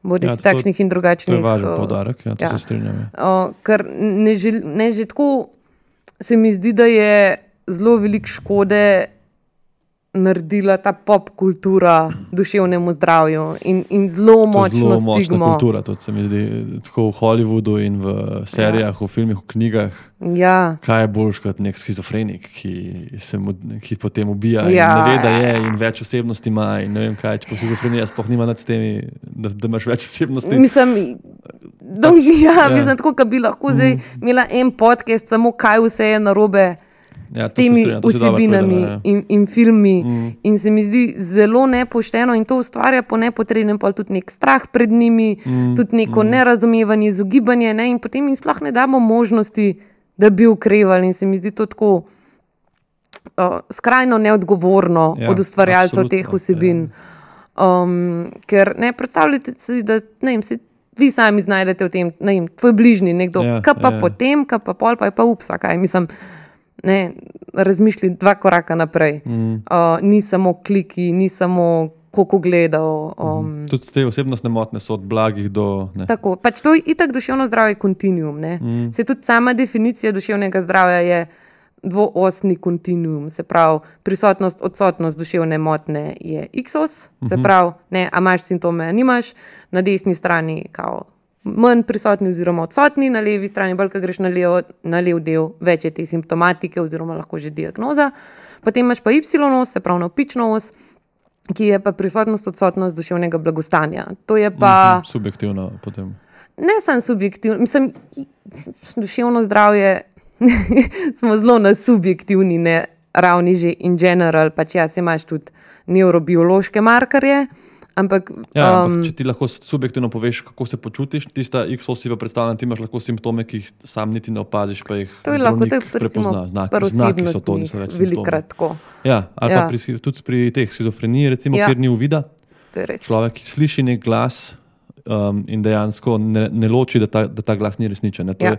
bodi ja, si takšnih in drugačnih. To je važen podarek, ja, to ja. se strinjam. Uh, ker ne, žel, ne že tako se mi zdi, da je zelo veliko škode naredila ta pop kultura duševnemu zdravju in, in zelo močno zelo stigmo. Močna kultura, to se mi zdi, tako v Hollywoodu in v serijah, ja. v filmih, v knjigah. Ja. Kaj je boljš kot nek skizofrenik, ki, se mu, ki potem ubija ja. in ne ve, da je in več osebnosti ima in ne vem kaj, če pa skizofrenija sploh nima nad s temi, da, da imaš več osebnosti. Mislim, da, ja, ja. mislim tako, da bi lahko mm. zdaj imela en podcast, samo kaj vse je narobe ja, s temi strinja, vsebinami povedala, ja. in, in filmi mm. in se mi zdi zelo nepošteno in to ustvarja po nepotrebnem pa tudi nek strah pred njimi, mm. tudi neko mm. nerazumevanje, izogibanje, ne? In potem jim sploh ne damo možnosti, da bi ukrevali in se mi zdi to tako uh, skrajno neodgovorno ja, od ustvarjalcev teh vsebin. Ja. Um, ker ne predstavljate si, da ne vem, se vi sami znajdete v tem, ne vem, tvoj bližnji nekdo, ja, kaj pa ja. potem, kaj pa pol, pa je pa upsa, kaj mislim, ne, razmišlji dva koraka naprej. Mm. Uh, ni samo kliki, ni samo koliko gledal. Um, mm. Tudi te osebnostne motnje so od blagih do... Ne. Tako, pač to je itak duševno zdravje kontinuum. Mm. Se tudi sama definicija duševnega zdravja je dvoosni kontinuum, se pravi prisotnost, odsotnost duševne motnje je iksos, mm-hmm. se pravi, ne, a imaš simptome, a nimaš, na desni strani kao manj prisotni oziroma odsotni, na levi strani, bolj, ko greš na lev, na lev del, več je te simptomatike oziroma lahko že diagnoza. Potem imaš pa y-os, se pravi navpično os, ki je pa prisotnost, odsotnost duševnega blagostanja. To je pa... Mm-hmm, subjektivno potem. Ne samo subjektivno, mislim, duševno zdravje smo zelo na subjektivni ne, ravni že in general, pač ja, se imaš tudi neurobiološke markerje, ampak... Ja, um, ampak če ti lahko subjektivno poveš, kako se počutiš, tista X-os si pa predstavljena, ti imaš lahko simptome, ki jih sam niti ne opaziš, pa jih to je lahko, to je recimo prvosebnostnih, velikrat tako. Ja, ali ja. pa pri, tudi pri teh skizofreniji, recimo, ja. kjer ni uvida, to je res. Človek, ki sliši nek glas um, in dejansko ne, ne loči, da ta, da ta glas ni resničen. Ne. To Ja. je,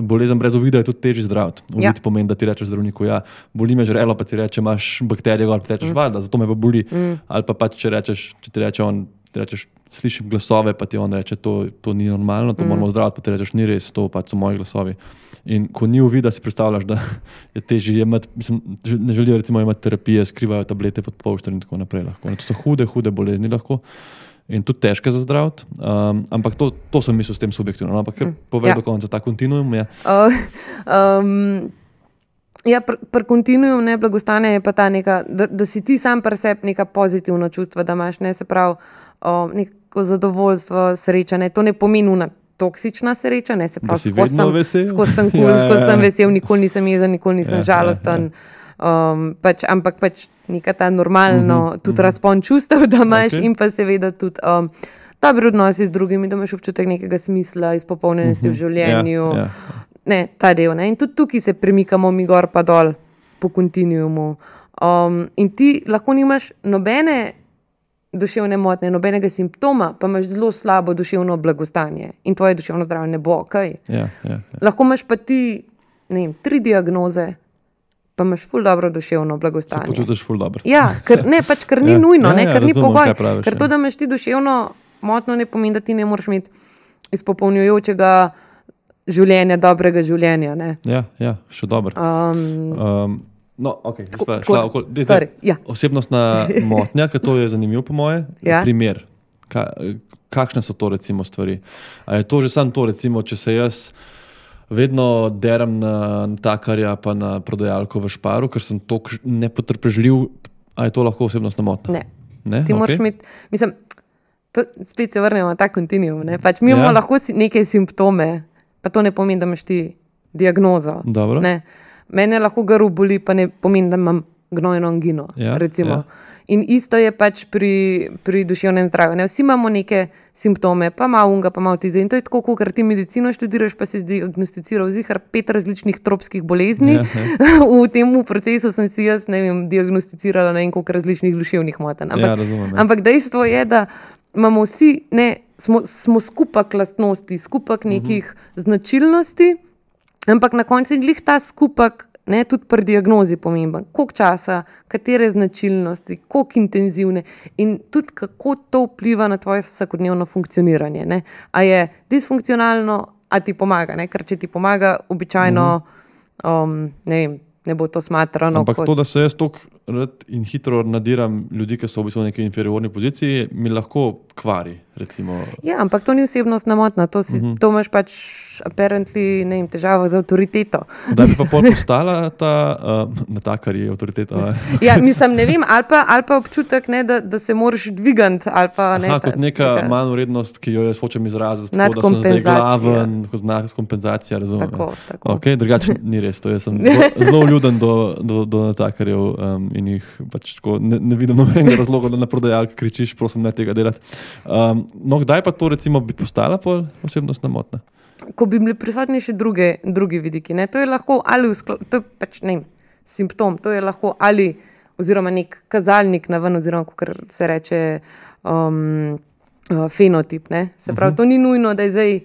bolezen brez uvida je tudi težji zdraviti. Uvid Ja. pomeni, da ti rečeš zdravniku, ja, boli me žrelo, pa ti reče, imaš bakterije gor, pa ti rečeš, mm. valjda, zato me pa boli. Mm. Ali pa pač, če rečeš, če ti reče on, ti rečeš, slišim glasove, pa ti on reče, to, to ni normalno, to mm. moramo zdraviti, pa ti rečeš, ni res, to pač so moji glasovi. In ko ni uvida, si predstavljaš, da je težje imeti, mislim, ne želijo recimo imeti terapije, skrivajo tablete pod polšter in tako naprej. Lahko. To so hude, hude bolezni lahko in tudi težke za zdraviti, um, ampak to, to sem mislil s tem subjektivno, ampak ker povej Ja. do konca ta kontinuum je. Uh, um, ja, pri pr kontinuum ne blagostanja je pa ta neka, da, da si ti sam pri sebi neka pozitivna čustva, da imaš ne se pravi uh, neko zadovoljstvo, sreča. Ne. To ne pomeni una toksična sreča, ne se pravi, skozi sem, skos sem kul, cool, Ja, ja, skozi ja. sem vesel, nikoli nisem jezen, nikoli nisem Ja, žalosten. Um, pač, ampak pač neka ta normalno Mhm, uh -huh, tudi uh -huh. razpon čustev, da imaš Okej. in pa seveda tudi um, dobri odnosi z drugimi, da imaš občutek nekega smisla, izpopolnjenosti v življenju. Ja, ja. Ne, ta del. Ne? In tudi tukaj se premikamo mi gor pa dol po kontinuumu. Um, in ti lahko nimaš nobene duševne motnje, nobenega simptoma, pa imaš zelo slabo duševno blagostanje in tvoje duševno zdravje ne bo. Okay? Ja, ja, ja. Lahko imaš pa ti ne vem, tri diagnoze, pa imaš ful dobro duševno Se blagostanje. počutiš ful dobro. Ja, ker, ne, pač, ker ni Ja, nujno, ja, ne, ja, ker ni razumem, pogoj. kaj praviš, Ker ja. to, da imaš ti duševno motno, ne pomeni, da ti ne moreš imeti izpopolnjujočega življenja, dobrega življenja. Ne. Ja, ja, še dobro. Um, Um, no, okay, Tako- šla, tako- okoli, dej, sorry, dej, ja. osebnostna motnja, ker to je zanimivo po moje. Ja. Primer, ka, kakšne so to recimo stvari? A je to že samo to, recimo, če se jaz vedno derem na natakarja pa na prodajalko v Šparu, ker sem tako nepotrpežljiv, a je to lahko osebnostna motnja? ne. Ne? Ti moraš Okej. imeti, mislim, to, spet se vrnemo na ta kontinuum. Ne? Pač mi Ja. imamo lahko si- neke simptome, pa to ne pomeni, da imaš ti diagnozo. Dobro. Ne. Mene lahko grl boli, pa ne pomeni, da imam gnojno angino. Ja, recimo. ja. In isto je pač pri, pri duševnem zdravju. Ne? Vsi imamo neke simptome, pa malo unga, pa malo tize. In to je tako, ker ti medicino študiraš, pa si diagnosticiral zihar pet različnih tropskih bolezni. Ja, ja. v tem procesu sem si jaz, ne vem, diagnosticirala ne vem koliko različnih duševnih motenj. Ampak, Ja, razumem, ja. ampak dejstvo je, da imamo vsi, ne, smo, smo skupek lastnosti, skupek nekih uh -huh. značilnosti, ampak na koncu je glih ta skupek, ne, tudi pri diagnozi pomemben. Koliko časa, katere značilnosti, koliko intenzivne in tudi kako to vpliva na tvoje vsakodnevno funkcioniranje. Ne. A je disfunkcionalno, a ti pomaga, ne? Ker če ti pomaga, običajno uh -huh. um, ne vem, ne bo to smatrano. Ampak kot... to, da se jaz tako rad in hitro nadiram ljudi, ki so v bistvu v neki inferiorni poziciji, mi lahko kvari. Recimo. Ja, ampak to ni osebnostna motnja, to, si, uh -huh. to imaš pač apparently, ne vem, težavo z avtoriteto. Da bi pa pol postala ta, uh, natakar je avtoriteta. a? Ja, mislim, ne vem, ali pa, ali pa občutek, ne, da, da se moraš dvigati. Ali pa, ne, Aha, ta- kot neka tega- manj vrednost, ki jo jaz hočem izraziti, tako da sem zdaj Nadkompenzacija. glaven, kot znak kompenzacija, razumem. Tako, ja. tako. Okay, drugače ni res, to jaz sem zelo, zelo vljuden do, do, do natakarjev um, in jih pač tako ne, ne vidim nobenega razloga, da na prodajalki kričiš, prosim, ne tega delati. Um, no, kdaj pa to recimo bi postala pol osebnostna motnja? Ko bi bili prisotni še druge, drugi vidiki. Ne? To je lahko ali v sklo- to je pač ne vem, simptom, to je lahko ali oziroma nek kazalnik na ven, oziroma kako se reče um, uh, fenotip. Ne? Se pravi, uh -huh. to ni nujno, da je zdaj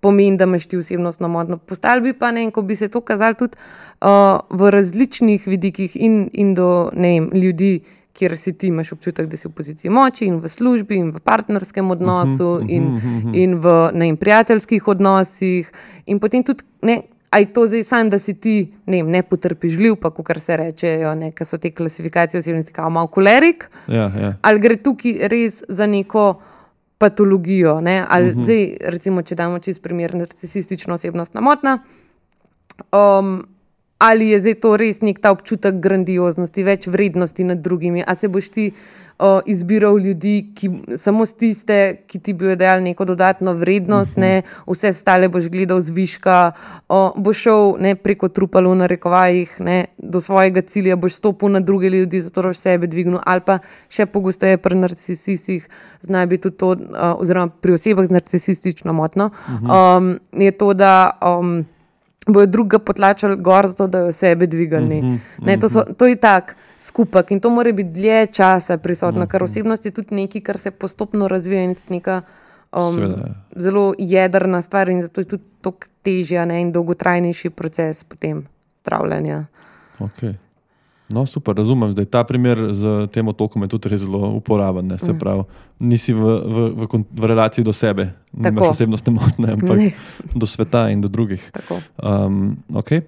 pomeni, da imaš ti osebnostno motnjo. Postali bi pa ne, in ko bi se to kazalo tudi uh, v različnih vidikih in, in do ne vem, ljudi, kjer si ti imaš občutek, da si v poziciji moči in v službi in v partnerskem odnosu uh -huh, in, uh -huh. in v ne vem, prijateljskih odnosih in potem tudi ne, a je to zdaj sam, da si ti ne, vem, nepotrpežljiv, pa kar se rečejo, ne, kaj so te klasifikacije osebnosti, kao malo kolerik, Ja, ja. ali gre tukaj res za neko patologijo, ne, ali uh Mhm. -huh. zdaj recimo, če damo čist primer narcisistično osebnostna motnja, um, ali je zdaj to res nek ta občutek grandioznosti, več vrednosti nad drugimi, a se boš ti uh, izbiral ljudi, ki samo s tiste, ki ti bi dajali neko dodatno vrednost, uh -huh. ne, vse stale boš gledal zviška, uh, boš šel ne, preko trupal v narekovajih, ne, do svojega cilja, boš stopil na druge ljudi, zato boš sebe dvignil, ali pa še pogosteje pri narcisistih, zna biti tudi to, uh, oziroma pri osebah z narcisistično motnjo, uh -huh. um, je to, da um, bojo drugega potlačali gor, zato da jo sebe dvigali. Uh -huh, ne, to, so, to je tak skupek in to mora biti dlje časa prisotno, uh -huh. ker osebnost je tudi nekaj, kar se postopno razvija in tudi neka um, zelo jedrna stvar in zato je tudi toliko težja ne, in dolgotrajnejši proces potem zdravljenja. Okay. No, super, razumem. Zdaj, ta primer z tem otokom je tudi res zelo uporaben. Ne? Se pravi, nisi v, v, v, v relaciji do sebe, nimaš osebnostne motnje, ampak ne. Do sveta in do drugih. Um, okay.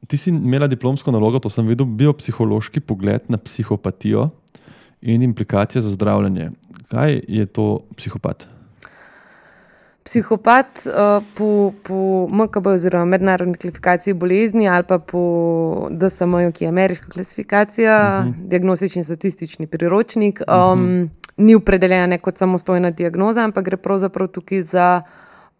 Ti si imela diplomsko nalogo, to sem videl, biopsihološki pogled na psihopatijo in implikacije za zdravljenje. Kaj je to psihopat? Psihopat uh, po, po M K B oziroma mednarodni klasifikaciji bolezni ali pa po D S M-ju, ki je ameriška klasifikacija, uh-huh. diagnostični statistični priročnik, um, uh-huh. ni opredeljena kot samostojna diagnoza, ampak gre pravzaprav tukaj za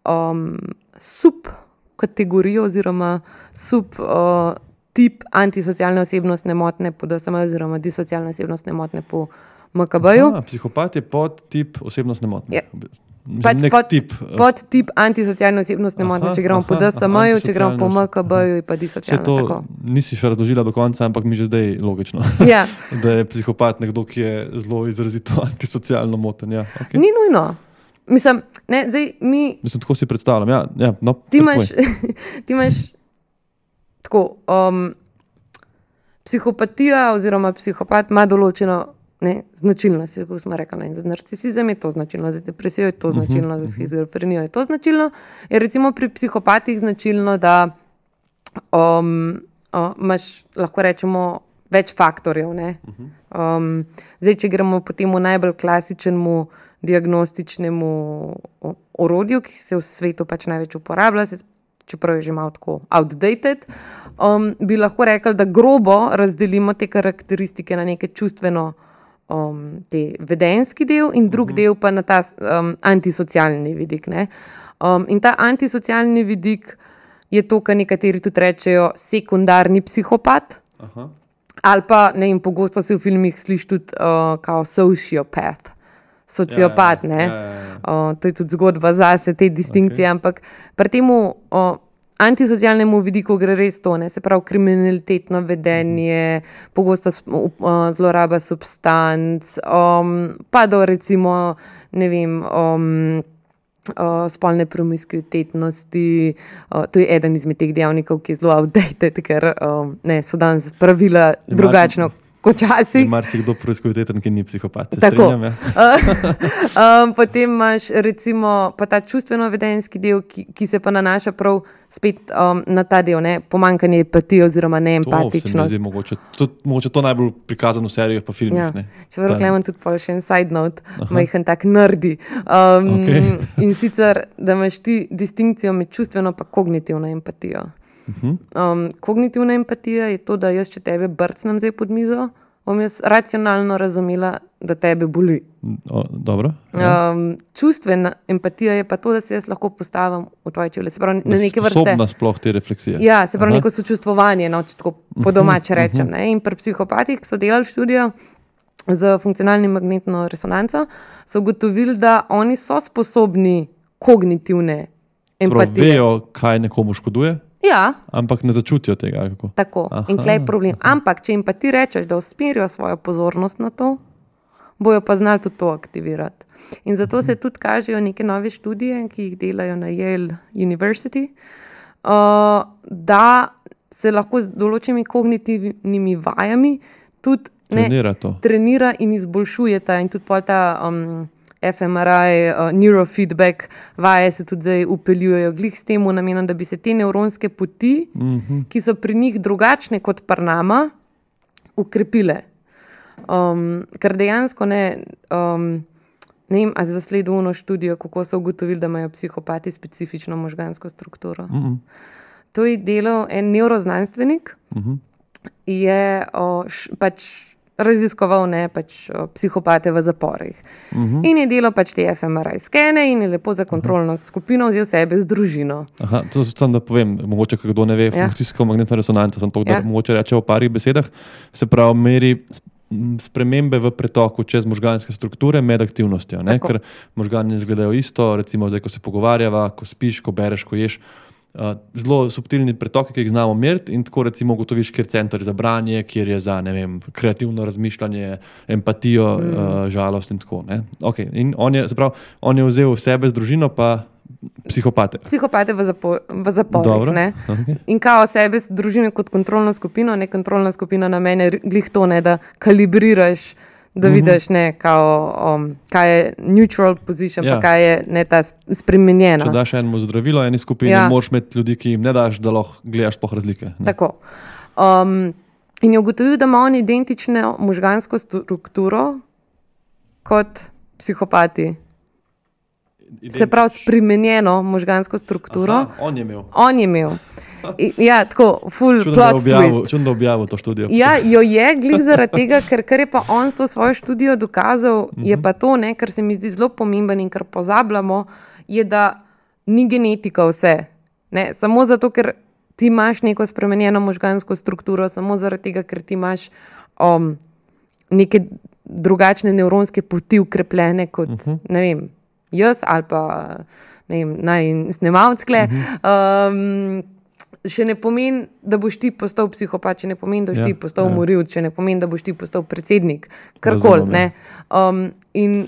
um, subkategorijo oziroma sub uh, tip antisocialne osebnostne motnje po D S M-ju oziroma disocialne osebnostne motnje po M K B-ju. Aha, psihopat je pod tip osebnostne motnje. Ja. Pač pod, tip. pod tip antisocialne osebnostne motnje, če gremo aha, po D S M-ju, če gremo po M K B-ju, pa disocialno. To tako. Nisi še razložila do konca, ampak mi že zdaj logično, ja. da je psihopat nekdo, ki je zelo izrazito antisocialno moten. Ja, okay. Ni nujno. Mislim, ne, zdaj mi... Mislim, tako si predstavljam. Ja, ja, no, ti, imaš, ti imaš tako, um, psihopatija oziroma psihopat ima določeno Ne, značilnost, kako smo rekli, za narcisizem je to značilno, za depresijo je to značilno, za schizofrenijo je to značilno. Je recimo pri psihopatih značilno, da um, uh, imaš, lahko rečemo, več faktorjev. Ne? Um, zdaj, če gremo po temu najbolj klasičnemu diagnostičnemu orodju, ki se v svetu pač največ uporablja, čeprav je že malo tako outdated, um, bi lahko rekli, da grobo razdelimo te karakteristike na neke čustveno Um, te vedenski del in drug uh-huh. del pa na ta um, antisocialni vidik. Ne? Um, in ta antisocialni vidik je to, kar nekateri tudi rečejo sekundarni psihopat. Uh-huh. Ali pa, ne vem, pogosto se v filmih sliši tudi uh, kao sociopath, sociopat. Ja, ja, ja, ja. Uh, to je tudi zgodba zase, te distinkcije, okay. Ampak pri temu uh, antisocialnemu vidiku gre res to, ne? Se pravi kriminalitetno vedenje, pogosto uh, zloraba substanc, um, pa do recimo, ne vem, um, uh, spolne promiskuitetnosti, uh, to je eden izmed teh dejavnikov, ki je zelo outdated, ker um, ne, so danes pravila drugačno kot časih. Mar si kdo promiskuiteten, ki ni psihopat, se strinjam, ja. um, potem imaš recimo pa ta čustveno-vedenski del, ki, ki se pa nanaša prav spet um, na ta del, ne, pomanjkanje empatije oziroma neempatičnost. To se mi zdi mogoče, to, mogoče to najbolj prikazano v serijah pa filmih. Ja. Ne. Če vrlo imam tudi pa še en side note, majhen tak nerdi. Um, okay. In sicer, da imaš ti distinkcijo med čustveno pa kognitivno empatijo. Uh-huh. Um, kognitivna empatija je to, da jaz, če tebe brcnem zdaj pod mizo, bom jaz racionalno razumela, da tebe boli. O, dobro. Ja. Um, čustvena empatija je pa to, da se jaz lahko postavim v tvoje čevlje. Se pravi, na neke vrste. Sposobna sploh te refleksije. Ja, se pravi, Aha. neko sočustvovanje, no, če tako po domače uh-huh. rečem. Ne? In pri psihopatih, ki so delali študijo z funkcionalnim magnetno resonanco, so ugotovili, da oni so sposobni kognitivne empatije. Sprav, vejo, kaj nekomu škoduje? Ja. Ampak ne začutijo tega. Kako? Tako. Aha, in tle je problem. Ampak, če jim pa ti rečeš, da usmerijo svojo pozornost na to, bojo pa znali tudi to aktivirati. In zato se tudi kažejo neke nove študije, ki jih delajo na Yale University, uh, da se lahko z določenimi kognitivnimi vajami tudi ne, trenira, trenira in izboljšuje ta in tudi pol ta um, F M R I, uh, neurofeedback vaje se tudi zdaj upeljujejo glih s temu namenom, da bi se te nevronske poti, mm-hmm. ki so pri njih drugačne kot pri nama, ukrepile. Um, ker dejansko ne, um, ne vem, a se zasledil eno študijo, kako so ugotovili, da imajo psihopati specifično možgansko strukturo. Mm-hmm. To je delal en neuroznanstvenik, mm-hmm. je o, š, pač raziskoval ne, pač, o, psihopate v zaporih. Uh-huh. In je delal pač te F M R I skene in je lepo za kontrolno uh-huh. skupino vzel sebe z družino. Aha, to sem da povem, mogoče kdo ne ve, ja. Funkcijsko magnetna resonanca, sem to, da ja. mogoče reče v parih besedah, se pravi meri spremembe v pretoku čez možganske strukture med aktivnostjo, ne? Ker možgani izgledajo isto, recimo zdaj, ko se pogovarjava, ko spiš, ko bereš, ko ješ, uh, zelo subtilni pretoki, ki jih znamo meriti, in tako recimo ugotoviš, kjer je center za branje, kjer je za ne vem, kreativno razmišljanje, empatijo, mm. uh, žalost in tako. Okay. In on je, zaprav, on je vzel sebe z družino, pa psihopate. Psihopate v, zapor, v zaporih. Okay. In kao sebe z družino kot kontrolno skupino, ne kontrolna skupina na mene, glih to ne, da kalibriraš, da mm-hmm. vidiš, ne, kao, um, kaj je neutral position, ja. Pa kaj je ne ta spremenjena. Če daš enemu zdravilo, eni skupini, ja. Moraš imeti ljudi, ki jim ne daš, da lahko gledaš po razlike. Ne? Tako. Um, in je ugotovil, da ima on identično možgansko strukturo kot psihopati. Identič. Se pravi, spremenjeno možgansko strukturo. Aha, on je imel. On je imel. I, ja, tako, full čudno plot objavil, twist. Čudno objavil to študijo. Ja, jo je glih zaradi tega, ker, ker je pa on s to svojo študijo dokazal, mm-hmm. je pa to, ne, kar se mi zdi zelo pomemben in kar pozabljamo, je, da ni genetika vse. Ne, samo zato, ker ti imaš neko spremenjeno možgansko strukturo, samo zaradi tega, ker ti imaš um, neke drugačne nevronske poti ukrepljene kot, mm-hmm. ne vem, jaz ali pa ne vem, naj snemalckle, um, še ne pomeni, da boš ti postal psihopat, še ne pomeni, da boš ja, ti postal ja. Morilc, še ne pomeni, da boš ti postal predsednik, karkoli. Ne? Um, in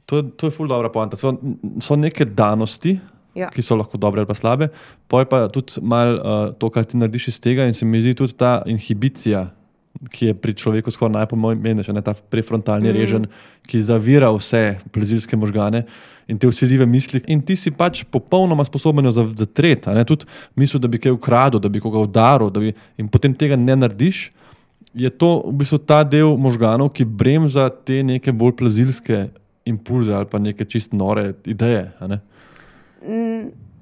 to, to je ful dobra poanta. So, so neke danosti, ja. Ki so lahko dobre ali pa slabe, poj pa tudi malo uh, to, kar ti narediš iz tega in se mi zdi tudi ta inhibicija, ki je pri človeku skoraj najpomembnejša, ta prefrontalni mm. režen, ki zavira vse plezilske možgane in te vsiljive misli. In ti si pač popolnoma sposoben zatreti, tudi misel, da bi kaj ukradil, da bi koga udaril, da bi, in potem tega ne narediš, je to v bistvu ta del možganov, ki bremza te neke bolj plezilske impulze ali pa neke čist nore ideje. Ne?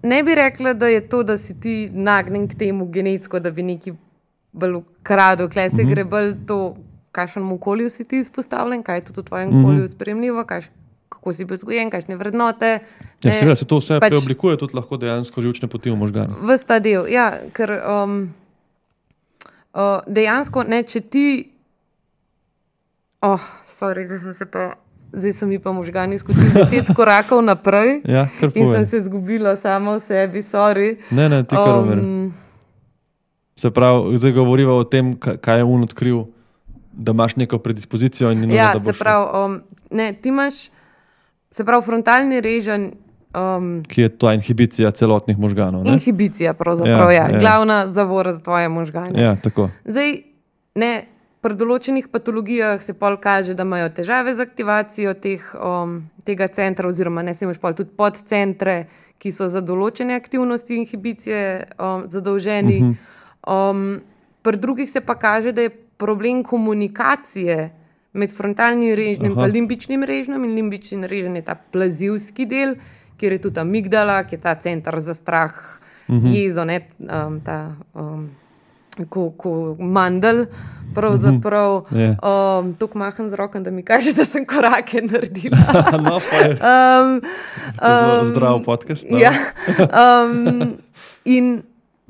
ne bi rekla, da je to, da si ti nagnen k temu genetsko, da bi neki bolj ukradil, kle se mm-hmm. gre bolj to, kakšnem okolju si ti izpostavljen, kaj je tudi v tvojem mm-hmm. okolju sprejemljivo, kaj, kako si bil vzgojen, kakšne vrednote. Ja, seveda se to vse pač preoblikuje, tudi lahko dejansko živčne poti v možganu. Ves ta del, ja, ker um, uh, dejansko, ne, če ti oh, sorry, zdaj sem se pa zdaj so mi pa možgani skočili deset korakov naprej ja, in sem se zgubila sama v sebi, sorry. Ne, ne, ti kar umeri. Um, Se pravi, zdaj govoriva o tem, kaj je on odkril, da imaš neko predispozicijo. In ja, da se pravi, um, ne, ti imaš, se pravi, frontalni režen, um, ki je ta inhibicija celotnih možganov. Ne? Inhibicija, pravzaprav, ja, ja. ja. Glavna zavora za tvoje možgane. Ja, tako. Zdaj, ne, pri določenih patologijah se pol kaže, da imajo težave z aktivacijo teh, um, tega centra, oziroma ne, se imaš pol tudi podcentre, ki so za določene aktivnosti inhibicije um, zadolženi. Uh-huh. Um, pri drugih se pa kaže, da je problem komunikacije med frontalnim režnjem in limbičnim režnjem, in limbični režen je ta plazivski del, kjer je tudi amigdala, ki je ta center za strah, uh-huh. jezo, ne, um, ta um, ko, ko mandel, pravzaprav. Uh-huh. yeah. um, Tuk maham z rokom, da mi kaže, da sem korake naredila. no, pa je. Um, um, zdrav podcast. No? ja. um, in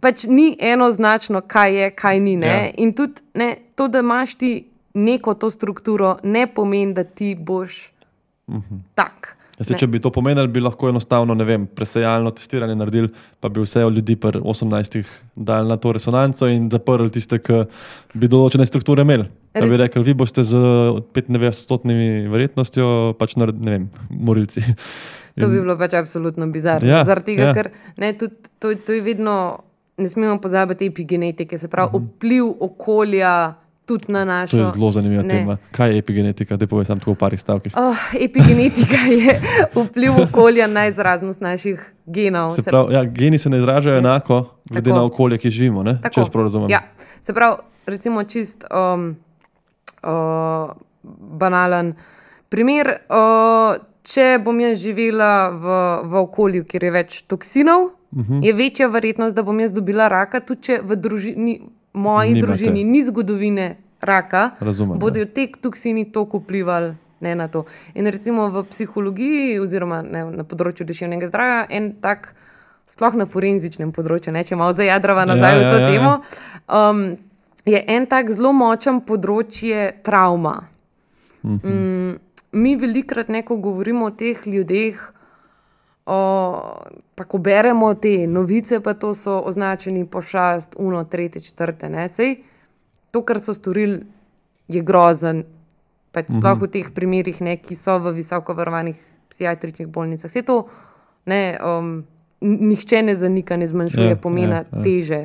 pač ni enoznačno, kaj je, kaj ni. Ne? Ja. In tudi ne, to, da imaš ti neko to strukturo, ne pomeni, da ti boš uh-huh. tak. Ja, se, če bi to pomenili, bi lahko enostavno, ne vem, presejalno testiranje naredili, pa bi vse ljudi pri osemnajstih dali na to resonanco in zaprli tiste, ki bi določene strukture imeli. Da bi rekli, vi boste z petindevetdeset odstotnimi verjetnostjo pač, ne vem, morilci. To in... bi bilo pač absolutno bizarno. Ja, Zaradi tega, ja. ker ne, tudi, to, to je vedno, ne smemo pozabiti epigenetike, se pravi, uh-huh. vpliv okolja tudi na našo... To je zelo zanimiva ne. tema. Kaj je epigenetika? Daj povej samo tako v parih stavkih. Oh, epigenetika je vpliv okolja na izraznost naših genov. Se pravi, ja, geni se ne izražajo ne. enako, glede tako. na okolje, ki živimo, ne? Če jaz prav razumem. Ja. Se pravi, recimo čist um, uh, banalen primer, uh, če bom jaz živela v, v okolju, kjer je več toksinov, uh-huh. je večja verjetnost, da bom jaz dobila raka, tudi če v družini moji Nimate. družini ni zgodovine raka, Razumem, bodo te toksini toliko vplivali ne, na to. In recimo v psihologiji oziroma ne, na področju duševnega zdravja en tak, sploh na forenzičnem področju, ne, če malo zajadrava nazaj ja, v to ja, temo, ja. Um, je en tak zelo močen področje travma. Uh-huh. Um, mi velikrat neko govorimo o teh ljudeh, O, pa ko beremo te novice, pa to so označeni pošast, uno, tretje, četrte, ne, sej, to, kar so storili, je grozen, pač sploh v teh primerih, ne, ki so v visoko varovanih psihiatričnih bolnicah. Vse to, ne, um, nihče ne zanika, ne zmanjšuje yeah, pomena yeah, yeah. teže.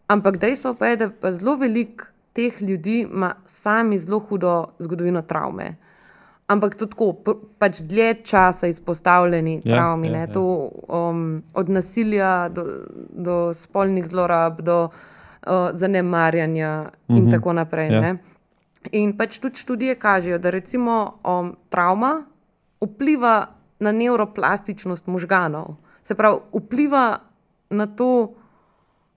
Ampak dejstvo pa je, da pa zelo veliko teh ljudi ima sami zelo hudo zgodovino travme. Ampak to tako, pač dlje časa izpostavljeni yeah, travmi, yeah, ne, to um, od nasilja do, do spolnih zlorab, do uh, zanemarjanja mm-hmm. in tako naprej, yeah. ne. In pač tudi študije kažejo, da recimo um, travma vpliva na nevroplastičnost možganov. Se pravi, vpliva na to,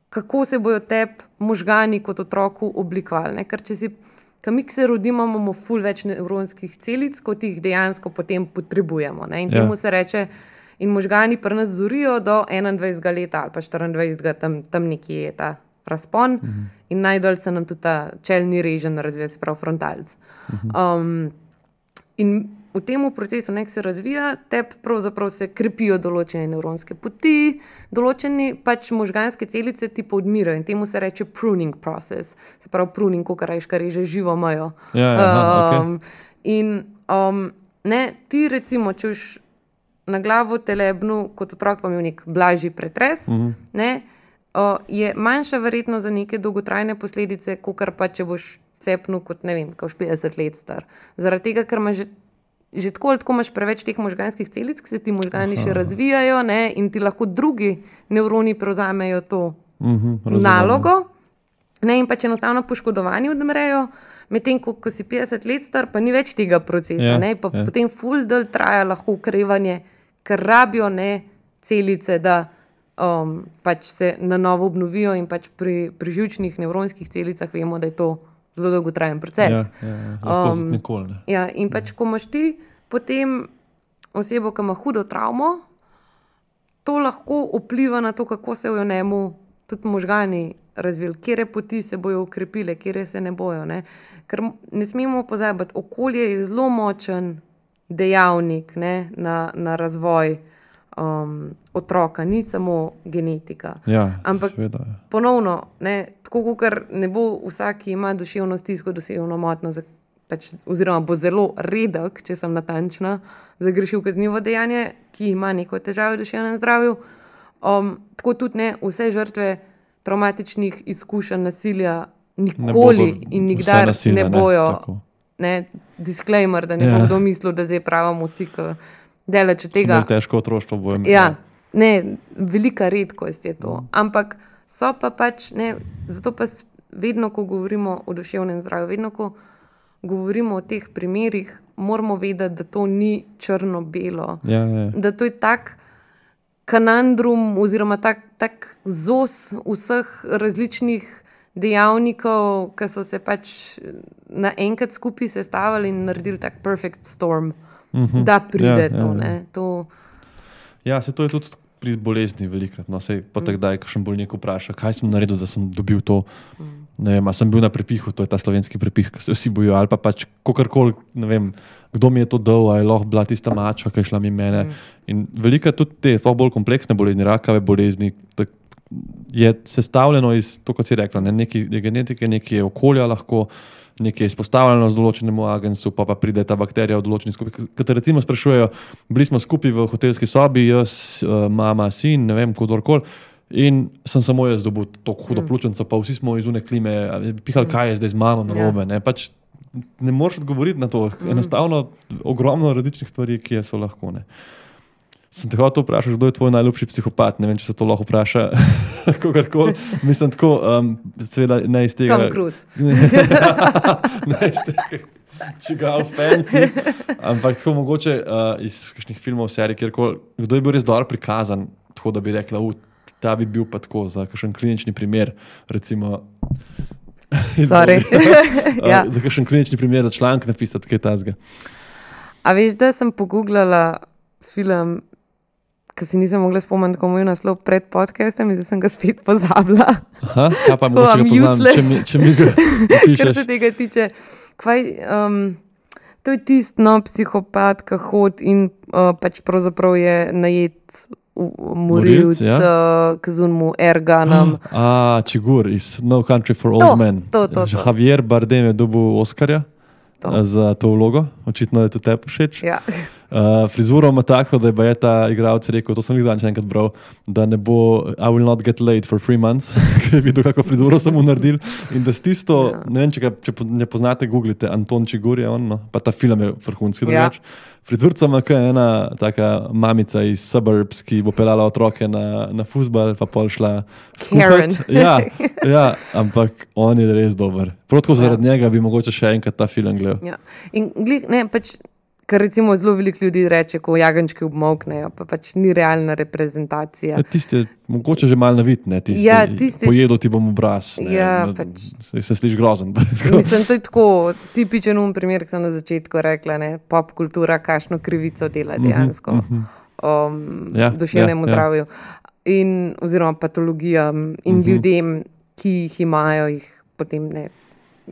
kako se bojo tebi možgani kot otroku oblikovali. Ne? Ker če si, ko mi se rodimo, imamo ful več nevronskih celic, kot jih dejansko potem potrebujemo. Ne? In temu ja. se reče, in možgani pri nas zorijo do enaindvajsetega leta ali pa štiriindvajsetega, tam, tam nekje je ta razpon mhm. in najdolj se nam tudi ta čelni režen razvija, se pravi frontalc. Mhm. Um, in v tem procesu, nek se razvija, tebi pravzaprav se krepijo določene nevronske poti, določene pač možganske celice ti pa odmirajo in temu se reče pruning process. Se pravi pruning, ko rečeš, kar reže živo majo. Ja, ja, aha, um, okay. In um, ne, ti recimo, če už na glavo telebnu, kot otrok pa imel nek blažji pretres, uh-huh. ne, uh, je manjša verjetno za neke dolgotrajne posledice, kakor pa če boš cepnil kot, ne vem, kot petdeset let star. Zaradi tega, ker ima že Že tako ali tako imaš preveč teh možganskih celic, ki se ti možgani Aha. še razvijajo, ne, in ti lahko drugi nevroni prevzamejo to uh-huh, nalogo, ne, in pač enostavno poškodovani odmrejo, medtem ko, ko si petdeset let star, pa ni več tega procesa, yeah, ne, pa yeah. potem ful del traja lahko ukrevanje, ker rabijo ne, celice, da um, pač se na novo obnovijo in pač pri, pri živčnih nevronskih celicah vemo, da je to zelo dolgotrajen proces. Ja, ja, ja. Um, nikoli, ne. Ja, in pač, ko imaš ti potem osebo, ki ima hudo travmo, to lahko vpliva na to, kako se v njemu tudi možgani razvili, kjere poti se bojo ukrepile, kjere se ne bojo. Ne. Ker ne smemo pozabiti, okolje je zelo močen dejavnik ne, na, na razvoj um, otroka, ni samo genetika. Ja, ampak seveda, ja. ponovno, ne, tako kot ne bo vsak, ki ima duševno stisko, duševno motnjo, pač, oziroma bo zelo redek, če sem natančna, zagrešil kaznivo dejanje, ki ima neko težavo v duševnem zdravju. Um, tako tudi ne, vse žrtve traumatičnih izkušenj nasilja nikoli ne in nikdar nasilja, ne bojo, ne, ne, disclaimer, da ne ja. bo kdo mislil, da zdaj pravimo vsi, ki delač od tega. Težko otroštvo bo imel. Ja, ne, velika redkost je to. Ampak so pa pač, ne, zato pa vedno, ko govorimo o duševnem zdravju, vedno, ko govorimo o teh primerih, moramo vedeti, da to ni črno-belo. Ja, ja. Da to je tak kanandrum oziroma tak, tak zos vseh različnih dejavnikov, ki so se pač naenkrat skupaj sestavili in naredili tak perfect storm, uh-huh. da pride ja, to, ja, ne. To... Ja, se to je tudi pri bolezni velikrat. No, sej potem mm. kdaj, kakšen bolnik vpraša, kaj sem naredil, da sem dobil to. Mm. Ne vem, a sem bil na prepihu, to je ta slovenski prepih, ki se vsi bojo, ali pa pač kakorkoli, ne vem, kdo mi je to dal, a je lahko bila tista mačka, ki je šla mi mene. Mm. In velika tudi te, pa bolj kompleksne bolezni, rakave bolezni, tak, je sestavljeno iz, to kot si rekla, ne, neki je genetike, neki je okolja lahko, nekaj je izpostavljeno z določenemu agensu, pa pa pride ta bakterija v določeni skupaj. Kad recimo sprašujejo, bili smo skupaj v hotelski sobi, jaz, mama, sin, ne vem, kdorkoli, in sem samo jaz dobil to hudo pljučnico, pa vsi smo iz une klime pihali, kaj je zdaj z mano narobe. Ne, pač ne moreš odgovoriti na to. Enostavno ogromno različnih stvari, ki so lahko. Ne. Sem te hotel vprašati, kdo je tvoj najljubši psihopat? Ne vem, če se to lahko vpraša kogarkoli. Mislim tako, um, seveda ne iz tega... Tom Cruise. ne iz tega, čigal fancy. Ampak tako mogoče uh, iz kakšnih filmov, serij, kjerkoli, kdo je bil res dobro prikazan, tako da bi rekla, u, ta bi bil pa tako za kakšen klinični primer, recimo... Sorry. ja. Za kakšen klinični primer, za članek napisati, kaj tazga. A veš, da sem pogooglala film, ki si nisem mogla spomniti, ko moj naslov pred podcastom in zdaj sem ga spet pozabila. Aha, ja pa mogoče ga poznam, če mi, če mi ga pišeš. Kar se tega tiče. Kvaj, um, to je tist, no, psihopat, ki hod in uh, pač pravzaprav je najet morilc, ja? uh, k zunmu Erganom. A, Čigur iz No Country for Old To, Men. to, to, to. Javier Bardem je dobil Oskarja To. eh, za to vlogo. Očitno je to tebi všeč. Ja. Uh, frizuro ima tako, da je ta igralec rekel, to sem jih zadnjič enkrat bral, da ne bo I will not get laid for three months, ker je videl, kako frizuro sem mu naredil. In da s tisto, Ja. ne vem, če, ga, če po- ne poznate, googlite, Anton Čigur je on, no? Pa ta film je vrhunski Ja. drugač. Frizurca ima kot ena taka mamica iz suburbs, ki bo pelala otroke na, na fuzbal, pa pol šla Karen. skuhat. Ja, ja, ampak on je res dober. Prav tako zaradi Ja. njega bi mogoče še enkrat ta film gledal. Ja. In glih, ne, pač, kar recimo zelo veliko ljudi reče, ko jagenčki obmoknejo, pa pač ni realna reprezentacija. Ja, tisti je mogoče že malo navit, ne, tisti, Ja, tisti- pojedel ti bom obraz. Ne, Ja, no, pač- Se sliši grozen. Mislim, to je tako tipičen um primer, ki sem na začetku rekla, ne, pop kultura, kakšno krivico dela dejansko um, Ja, duševnemu ja, ja. zdravju in oziroma patologijam in ljudem, ki jih imajo, jih potem ne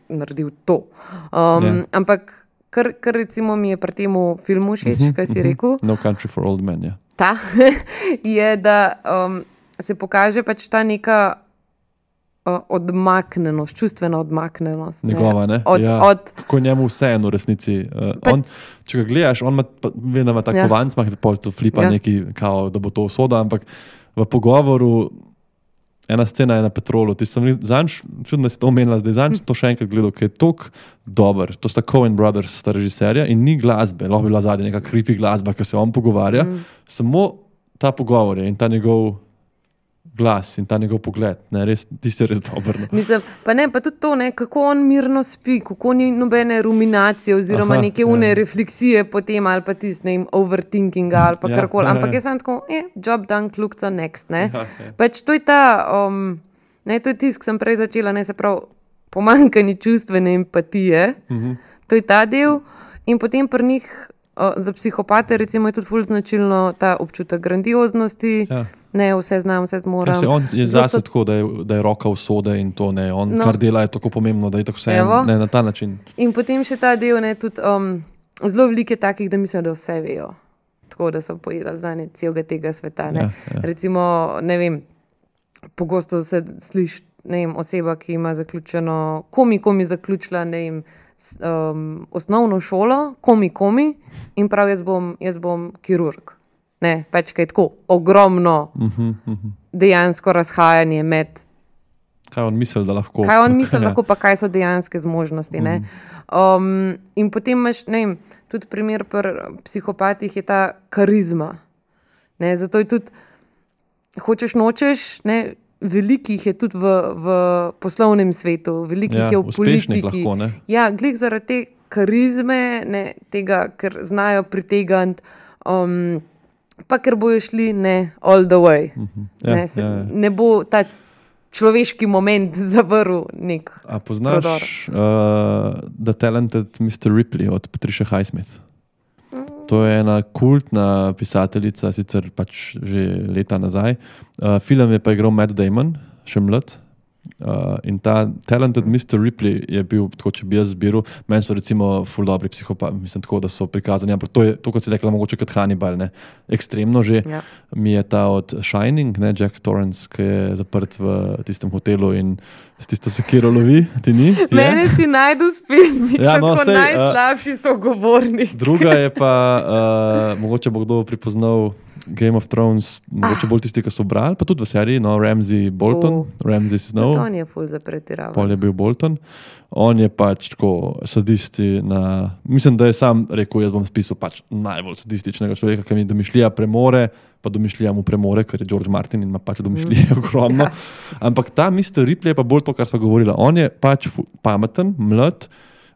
naredil to. Um, Ja. Ampak kar, kar recimo mi je pri tem filmu všeč, kaj si rekel, No Country for Old Men, ja. ta je, da um, se pokaže pač ta neka uh, odmaknenost, čustvena odmaknenost. Njegova, ne? Od, ja. od, Kako njemu vseeno v resnici. Uh, Pa- on, če ga gledaš, on ima, pa- vem, da ima tako Ja. ja. kovanc, ima pol to flipa Ja. ja. neki, kao, da bo to usoda, ampak v pogovoru ena scena je na Petrolu. Ti sem zanj, čudno, da si to omenila, zdaj zanj to še enkrat gledal, ker je tok dober. To sta Coen Brothers, sta režiserja in ni glasbe, lahko bi bila zadnja neka creepy glasba, ki se on pogovarja. Mm. Samo ta pogovor je in ta njegov glas in ta njegov pogled, ne, res, tisti je res dober. No. mislim, pa ne, pa tudi to, ne, kako on mirno spi, kako ni nobene ruminacije oziroma Aha, neke une ja. refleksije potem ali pa tisti, ne vem, overthinkinga ali pa Ja, karkoli. ja, ja. Ampak jaz sem tako, eh, job done, look to next, ne. Ja, ja. Pač to je ta, um, ne, to je tisk, sem prej začela, ne, se pravi, pomanjkanje čustvene empatije, Mhm. to je ta del in potem pri njih, uh, za psihopate recimo je tudi ful značilno ta občutek grandioznosti, Ja. ne, vse znam, vse zmoram. Ja, se on je Zelo zase so- tako, da je, da je roka usode in to ne. On, No. no. kar dela, je tako pomembno, da je tako vse Evo. ne, na ta način. In potem še ta del, ne, tudi um, zelo veliko je takih, da mislijo, da vse vejo. Tako da so pojedali znanje celega tega sveta. Ne. Ja, ja. Recimo, ne vem, pogosto se sliši, ne vem, oseba, ki ima zaključeno, komi, komi zaključila, ne vem, s- um, osnovno šolo, komi, komi in prav jaz bom, jaz bom kirurg. Ne, pač kaj je tako ogromno Uh -huh, uh -huh. dejansko razhajanje med Kaj on misli, da lahko? kaj on misli, Ja. lahko pa kaj so dejanske zmožnosti. Ne? Um, in potem imaš, ne vem, tudi primer pri psihopatih je ta karizma. Ne? Zato je tudi, hočeš nočeš, ne, velikih je tudi v, v poslovnem svetu, velikih Ja, je v uspešnih politiki. lahko, ne. Ja, glih zaradi te karizme, ne, tega, ker znajo pritegniti. Um, Pa ker bojo šli ne, all the way. Ja, ne, se, ja, ja. ne bo ta človeški moment zavrl nek. A poznaš uh, The Talented mister Ripley od Patricia Highsmith? To je ena kultna pisateljica, sicer pač že leta nazaj. Uh, film je pa igral Matt Damon, še mlad. Uh, in ta Talented mister Ripley je bil, tako če bi jaz zbiral, meni so recimo ful dobri psihopati, mislim tako, da so prikazani, ampak to je, to kot si rekla, mogoče kot Hannibal, ne, ekstremno že. Ja. Mi je ta od Shining, ne, Jack Torrance, ki je zaprt v tistem hotelu in s tisto sekiro lovi, ti ni? Ti je? Mene si najdu spet, Ja, ja, no, no, sej, najslabši uh, sogovornik. Druga je pa, uh, mogoče bo kdo pripoznal Game of Thrones, mogoče bolj tisti, ki so brali, pa tudi v seriji, no, Ramsay Bolton, Oh. Ramsay Snow. To je ful za pretiravanje. Pol je bil Bolton. On je pač tako sadisti na... Mislim, da je sam rekel, jaz bom spisal pač najbolj sadističnega človeka, ki mi domišljija premore, pa domišljija mu premore, ker je George Martin in ima pač domišljije mm. ogromno. Ampak ta mister Ripley je pa bolj to, kar sva govorila. On je pač fu- pameten, mlad,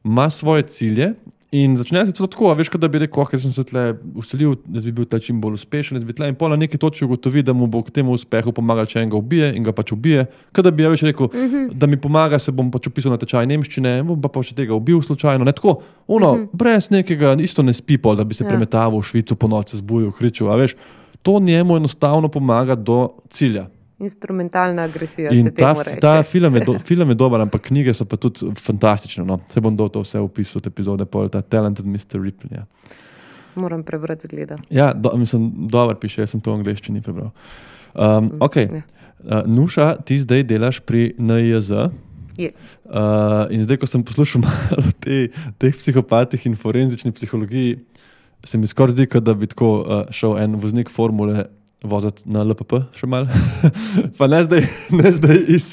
ima svoje cilje in začne se celo tako, a veš, kot da bi rekel, oh, ker sem se tle uselil, da bi bil tle čim bolj uspešen, da bi tle in pol na neki točki ugotovi, da mu bo k temu uspehu pomagal, če enega ubije in ga pač ubije. Kot da bi ja več rekel, mm -hmm. da mi pomaga, se bom pač upisal na tečaj nemščine, bom pa pa še tega ubil slučajno. Ne tako, ono, mm -hmm. brez nekega, isto ne spi pol, da bi se Ja. ja. premetaval v Švico po noči, zbujal, kričal, a veš. To njemu enostavno pomaga do cilja. Instrumentalna agresija In se ta, temu reče. ta film, je do, film je dober, ampak knjige so pa tudi fantastične. No. Se bom dal to vse v opisu te epizode, pol ta Talented mister Ripley. Ja. Moram prebrati zgleda. Ja, do, mislim, dobro piše, jaz sem to v angleščini prebral. Um, ok, Ja. uh, Nuša, ti zdaj delaš pri N I J Z. Yes. Uh, in zdaj, ko sem poslušal malo o te, teh psihopatih in forenzični psihologiji, se mi skoraj zdi, kot da bi tako uh, šel en voznik formule voziti na L P P še malo. Pa ne zdaj, ne zdaj iz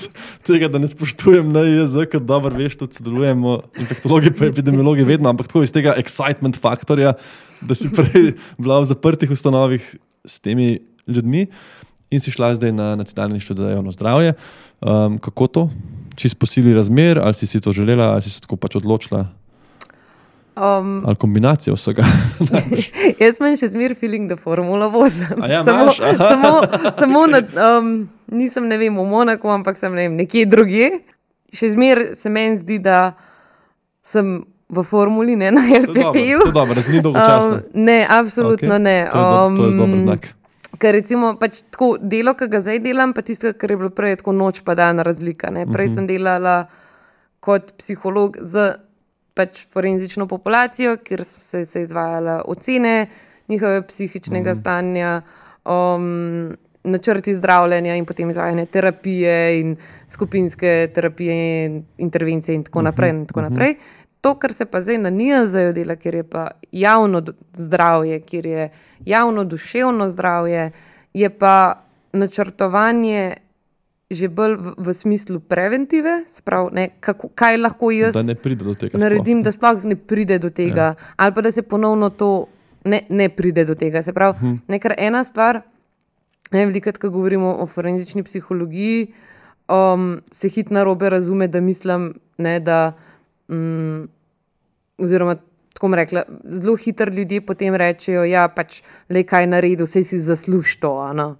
tega, da ne spoštujem N I J Z, ker dobro veš, tudi sodelujemo infektologi pa epidemiologi vedno, ampak tako iz tega excitement faktorja, da si prej bila v zaprtih ustanovih s temi ljudmi in si šla zdaj na Nacionalni inštitut za javno zdravje. Um, kako to? Čisto po sili razmer, ali si si to želela, ali si se tako pač odločila? Um, ali kombinacija vsega? Jaz imam še zmer feeling, da formula vozim. Ja, samo, samo, samo na, um, nisem, ne vem, v Monaku, ampak sem ne vem, nekje drugje. Še zmer se meni zdi, da sem v formuli, ne na L P P-ju. To je dobro, da ni dolgočasno. Um, ne, absolutno okay. ne. To je, do, to je dober znak. Ker recimo pač tako delo, ki ga zdaj delam, pa tisto, kar je bilo prej tako noč pa dan razlika. Ne. Prej sem delala kot psiholog z pač forenzično populacijo, kjer so se, se izvajala ocene njihove psihičnega mm. stanja, um, načrti zdravljenja in potem izvajanje terapije in skupinske terapije, intervencije in tako naprej. In tako naprej. To, kar se pa zdaj na N I J Z-ju dela, kjer je pa javno zdravje, kjer je javno duševno zdravje, je pa načrtovanje že bolj v, v smislu preventive, se pravi, ne, kako, kaj lahko jaz da ne pride do tega naredim, sploh. Da sploh ne pride do tega, ja. Ali pa da se ponovno to ne, ne pride do tega. Se pravi, hm. nekaj ena stvar, ne, velikrat, ko govorimo o forenzični psihologiji, um, se hit narobe razume, da mislim, ne, da um, oziroma tako bom rekla, zelo hitro ljudje potem rečejo, ja, pač le kaj naredi, vse si zasluži to, ano.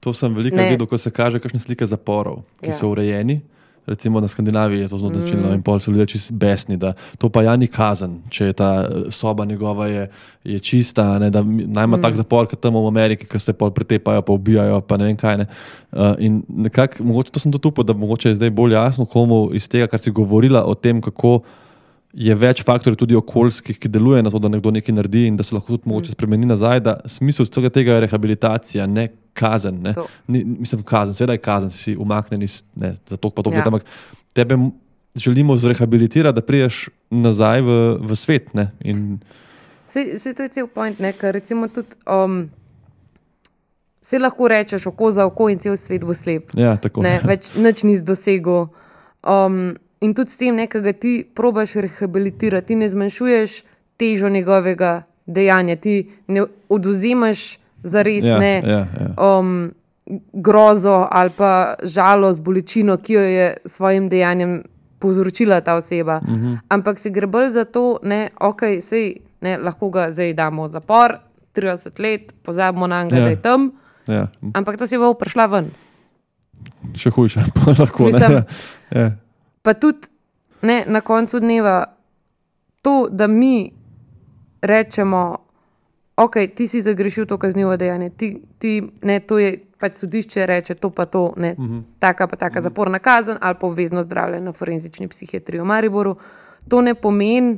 To sem veliko videl, ko se kaže kakšne slike zaporov, ki ja. So urejeni. Recimo na Skandinaviji je to zelo značilno mm. in pol so ljudje čisto besni, da to pa ja ni kazen, če je ta soba njegova je, je čista, ne, da najma mm. tak zapor, kot tam v Ameriki, ki se pol pretepajo, pa ubijajo, pa ne vem kaj. Ne. Uh, in nekako, mogoče to sem tudi upal, da mogoče je zdaj bolj jasno, komu iz tega, kar si govorila o tem, kako je več faktorjev tudi okoljskih, ki deluje na to, da nekdo nekaj naredi in da se lahko tudi mogoče spremeni nazaj, da smisel vsega tega je rehabilitacija, ne kazen. Ne? Ni, mislim, kazen, seveda je kazen, si si umaknen iz, ne, za to pa to, ja. Ampak tebe želimo zrehabilitirati, da priješ nazaj v, v svet. Ne? In... Se, se to je cel point, ne? Ker recimo tudi um, se lahko rečeš oko za oko in cel svet bo slep. Ja, tako. Ne? Več nič nisi dosegel. Um, In tudi s tem nekega ti probaš rehabilitirati, ti ne zmanjšuješ težo njegovega dejanja, ti ne odvzemaš zares ja, ne ja, ja. Um, grozo ali pa žalost, bolečino, ki jo je svojim dejanjem povzročila ta oseba. Uh-huh. Ampak se gre bolj za to, ne, ok, sej, ne, lahko ga zdaj damo v zapor, trideset let, pozabimo na njega, ja. Da je tam, ja. Ampak ta oseba bo prišla ven. Še hujše, pa lahko. Mislim, ne. Ja. Pa tudi ne, na koncu dneva to, da mi rečemo, ok, ti si zagrešil to kaznivo dejanje, ti, ti, ne, to je pač sodišče reče, to pa to, ne, uh-huh. taka pa taka uh-huh. zaporna kazen ali pa obvezno zdravljenje na forenzični psihiatriji v Mariboru. To ne pomeni,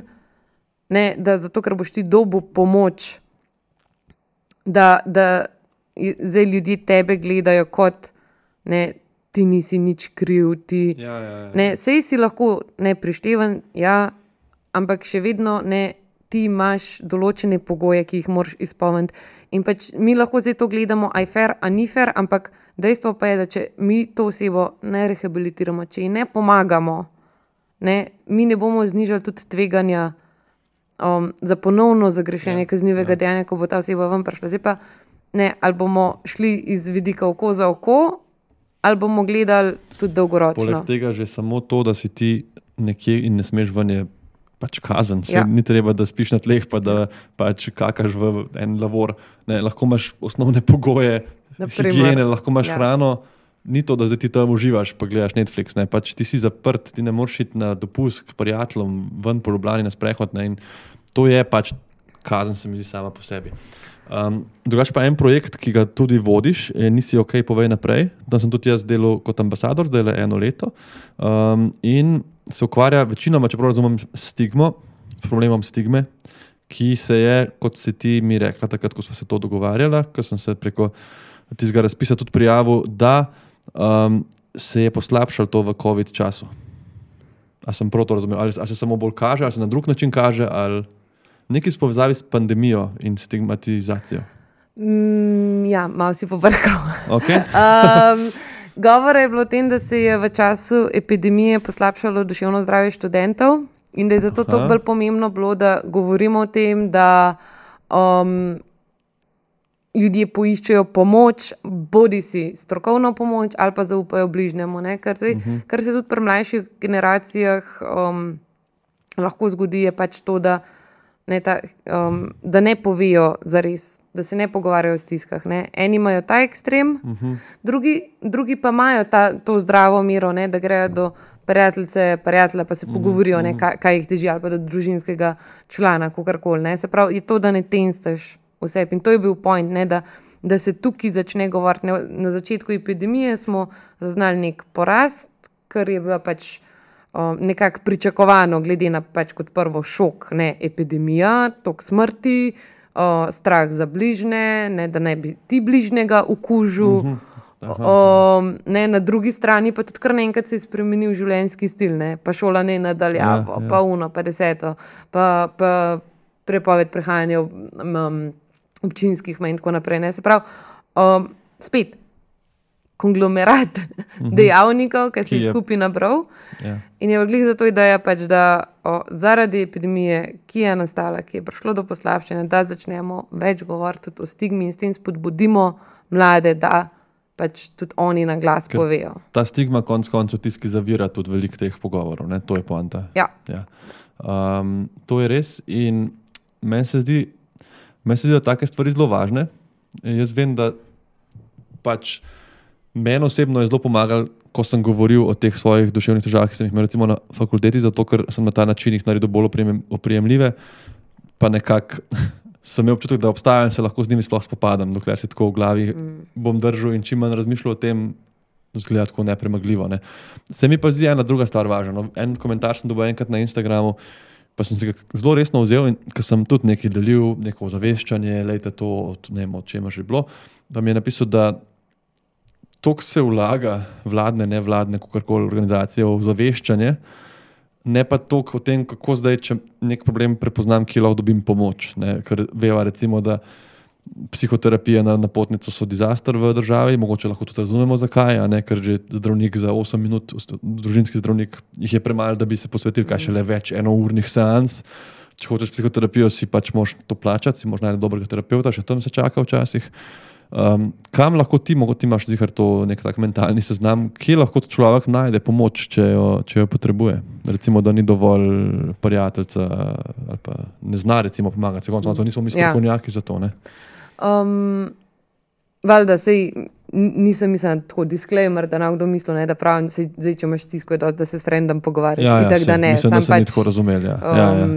ne, da zato, ker boš ti dobil pomoč, da, da zdaj ljudje tebe gledajo kot, ne, ti nisi nič kriv, ti, ja, ja, ja. Ne, sej si lahko ne prišteven, ja, ampak še vedno ne, ti imaš določene pogoje, ki jih moraš izpolniti. In pač mi lahko zdaj to gledamo, a je fair, a ni fair, ampak dejstvo pa je, da če mi to osebo ne rehabilitiramo, če ji ne pomagamo, ne, mi ne bomo znižali tudi tveganja um, za ponovno zagrešenje ja, kaznivega ja. Dejanja, ko bo ta oseba ven prišla. Zdaj pa, ne, ali bomo šli iz vidika oko za oko, ali bomo gledali tudi dolgoročno. Poleg tega že samo to, da si ti nekje in ne smeš ven, je pač kazen. Ja. Ni treba, da spiš na tleh, pa da pač kakaš v en lavor. Ne, lahko imaš osnovne pogoje, higiene, lahko imaš ja. Hrano. Ni to, da zdaj ti tam uživaš, pa gledaš Netflix. Ne. Pač ti si zaprt, ti ne moreš iti na dopust k prijateljem, ven po Ljubljani na sprehod. Ne. In to je pač kazen, se mi zdi sama po sebi. Um, drugač pa en projekt, ki ga tudi vodiš, je Nisi ok, povej naprej. Tam sem tudi jaz delal kot ambasador, zdaj le eno leto. Um, in se ukvarja večinoma, čeprav razumem, stigmo, s problemom stigme, ki se je, kot si ti mi rekla, takrat, ko smo se to dogovarjala, ko sem se preko tistega razpisa tudi prijavil, da um, se je poslabšalo to v COVID času. A sem prav to razumel? Ali, ali se samo bolj kaže, ali se na drug način kaže, ali nekaj s povezavi s pandemijo in stigmatizacijo? Mm, ja, malo si povrkal. Okay. um, govora je bilo o tem, da se je v času epidemije poslabšalo duševno zdravje študentov in da je zato to bolj pomembno bilo, da govorimo o tem, da um, ljudje poiščejo pomoč, bodi si strokovno pomoč ali pa zaupajo bližnjemu. Ne? Kar, se, uh -huh. kar se tudi pri mlajših generacijah um, lahko zgodi, je pač to, da ne, ta, um, da ne povejo zares, da se ne pogovarjajo o stiskah. Ne? Eni imajo ta ekstrem, uh -huh. drugi, drugi pa imajo ta, to zdravo mero, ne? Da grejo do prijateljice, prijatelja, pa se uh -huh. pogovorijo, ne? Kaj, kaj jih teži, ali pa do družinskega člana, kakorkoli. Se pravi, je to, da ne tenstaš vse. In to je bil point, ne? Da, da se tukaj začne govoriti. Ne? Na začetku epidemije smo zaznali nek porast, kar je bila pač Um, nekako pričakovano, glede na pač kot prvo šok, ne, epidemija, tok smrti, uh, strah za bližnje, ne, da ne bi ti bližnjega okužil. Uh -huh. um, ne, na drugi strani pa tudi kar naenkrat se je spremenil življenjski stil, ne, pa šola ne nadaljavo, ja, ja. pa uno, pa deseto, pa, pa prepoved prehajanja um, občinskih mej in tako naprej. Ne. Se pravi, um, spet, konglomerat uh-huh. dejavnikov, ki se je skupaj nabral. Yeah. In je odlih zato ideja, pač, da o, zaradi epidemije, ki je nastala, ki je prišlo do poslabšanja, da začnemo več govoriti tudi o stigmi in s tem spodbudimo mlade, da pač tudi oni na glas Ker povejo. Ta stigma konc koncev tiski zavira tudi veliko teh pogovorov, ne? To je poanta. Ja. Ja. Um, to je res in meni se zdi, meni se zdi, da take stvari zelo važne. Jaz vem, da pač meni osebno je zelo pomagalo, ko sem govoril o teh svojih duševnih težavah, ki sem jih imel recimo na fakulteti, zato ker sem na ta način jih naredil bolj oprijemljive, pa nekako sem imel občutek, da obstajajo in se lahko z njimi sploh spopadam, dokler si tako v glavi mm. bom držal in čim manj razmišljal o tem, zgleda tako nepremagljivo. Ne. Se mi pa zdi ena druga stvar važna. En komentar sem dobil enkrat na Instagramu, pa sem se ga zelo resno vzel in ker sem tudi nekaj delil, neko ozaveščanje, lejte to, ne vem, o čem že bilo, pa mi je napisal, da toliko se vlaga vladne, nevladne, kakorkoli organizacije v zaveščanje, ne pa toliko o tem, kako zdaj, če nek problem prepoznam, ki lahko dobim pomoč. Ne? Ker veva recimo, da psihoterapija na napotnico so disaster v državi, mogoče lahko tudi razumemo zakaj, a ne? Ker že zdravnik za osem minut, družinski zdravnik, jih je premalo, da bi se posvetil, kaj še le več enournih seans. Če hočeš psihoterapijo, si pač moraš to plačati, si moraš najti dobrega terapeuta, še tam se čaka včasih. Um, kam lahko ti, mogoče ti imaš zihar to nek tak mentalni seznam, kje lahko človek najde pomoč, če jo, če jo potrebuje? Recimo, da ni dovolj prijateljca ali pa ne zna recimo pomagati. Se konec koncev nismo mi strokovnjaki za to, ne? Um, valjda, sej nisem mislila tako disclaimer, da nam kdo misli, ne, da pravim, sej, zdaj, če imaš stisko, da se s frendom pogovarjaš. Ja, ja, itak, sej, da ne. Mislim, Sam da se pač, ni tako razumeli. Ja. Um, ja, ja.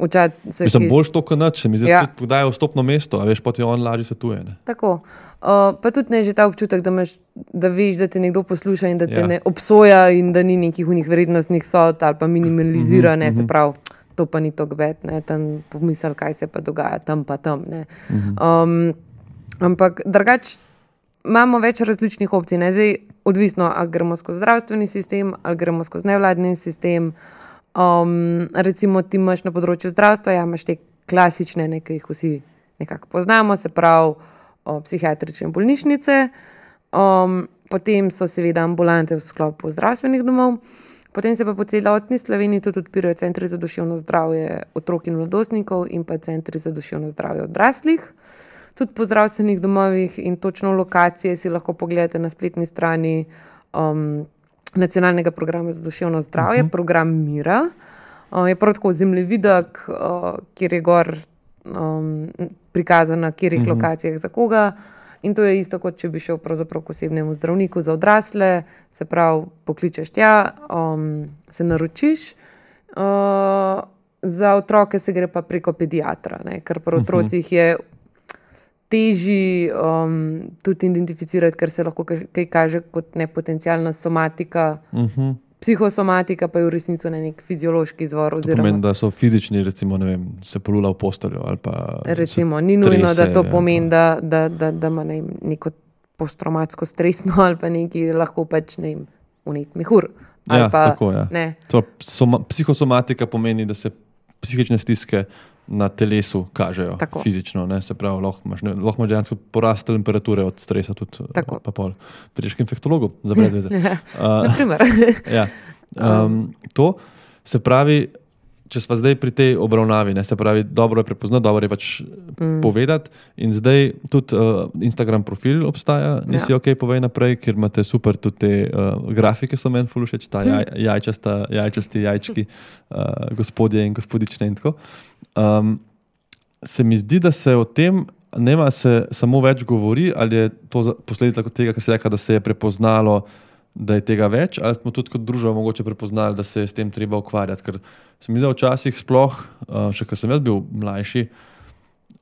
Učat, se mislim, ki... boljš to, kot nač, mi zdaj ja. tudi dajo vstopno mesto, a veš, poti on lažje svetuje. Ne? Tako. Uh, pa tudi ne že ta občutek, da, imaš, da veš, da te nekdo posluša in da te ja. ne obsoja in da ni nekih unih vrednostnih sod ali pa minimalizira, ne, se pravi, to pa ni tako bed, ne, tam pomisel, kaj se pa dogaja, tam pa tam, ne. Um, ampak drugač imamo več različnih opcij, ne, zdaj odvisno, ali gremo skozi zdravstveni sistem, ali gremo skozi nevladni sistem. Um, recimo ti imaš na področju zdravstva, ja, imaš te klasične, nekaj jih vsi nekako poznamo, se pravi, o, psihiatrične bolnišnice, um, potem so seveda ambulante v sklopu zdravstvenih domov, potem se pa po celotni Sloveniji tudi odpirajo centri za duševno zdravje otrok in mladostnikov in pa centri za duševno zdravje odraslih. Tudi po zdravstvenih domovih in točno lokacije si lahko pogledate na spletni strani um, Nacionalnega programa za duševno zdravje, uh-huh. program Mira. Uh, je prav tako zemljevidek, uh, kjer je gor um, prikazano, na katerih uh-huh. lokacijah za koga. In to je isto, kot če bi šel pravzaprav k osebnemu zdravniku za odrasle, se pravi, pokličeš tja, um, se naročiš. Uh, za otroke se gre pa preko pediatra, ne? Ker pri otrocih je težji um, tudi identificirati, ker se lahko kaj kaže kot nepotencialna somatika, uh-huh. psihosomatika pa je v resnici nek fiziološki izvor. To pomeni, da so fizični, recimo, ne vem, se polula v posteljo ali pa... Recimo, ni nujno, da to pomeni, da, da, da, da ima ne vem, neko posttraumatsko stresno ali pa neki lahko pač ne vem, unet mehur. Ja, pa, tako, ja. Ne. To, soma, psihosomatika pomeni, da se psihične stiske na telesu kažejo tako. Fizično, ne, se pravi, lahko imaš, ne, lahko imaš dejansko porast temperature od stresa tudi, tako. Pa pol. Prideš k infektologu, za brez veze. Ja, uh, naprimer. Ja. Um, to se pravi, če sva zdaj pri tej obravnavi, ne, se pravi, dobro je prepoznati, dobro je pač mm. povedati in zdaj tudi uh, Instagram profil obstaja, nisi ja. ok, povej naprej, ker imate super tudi te uh, grafike, so meni ful všeč, ta jaj, jajčasta, jajčasti jajčki, uh, gospodje in gospodične in tako. Um, se mi zdi, da se o tem nema se samo več govori, ali je to posledica tega, kar se reka, da se je prepoznalo, da je tega več, ali smo tudi kot družba mogoče prepoznali, da se je s tem treba ukvarjati, ker se mi zdi, da včasih sploh, še ko sem jaz bil mlajši,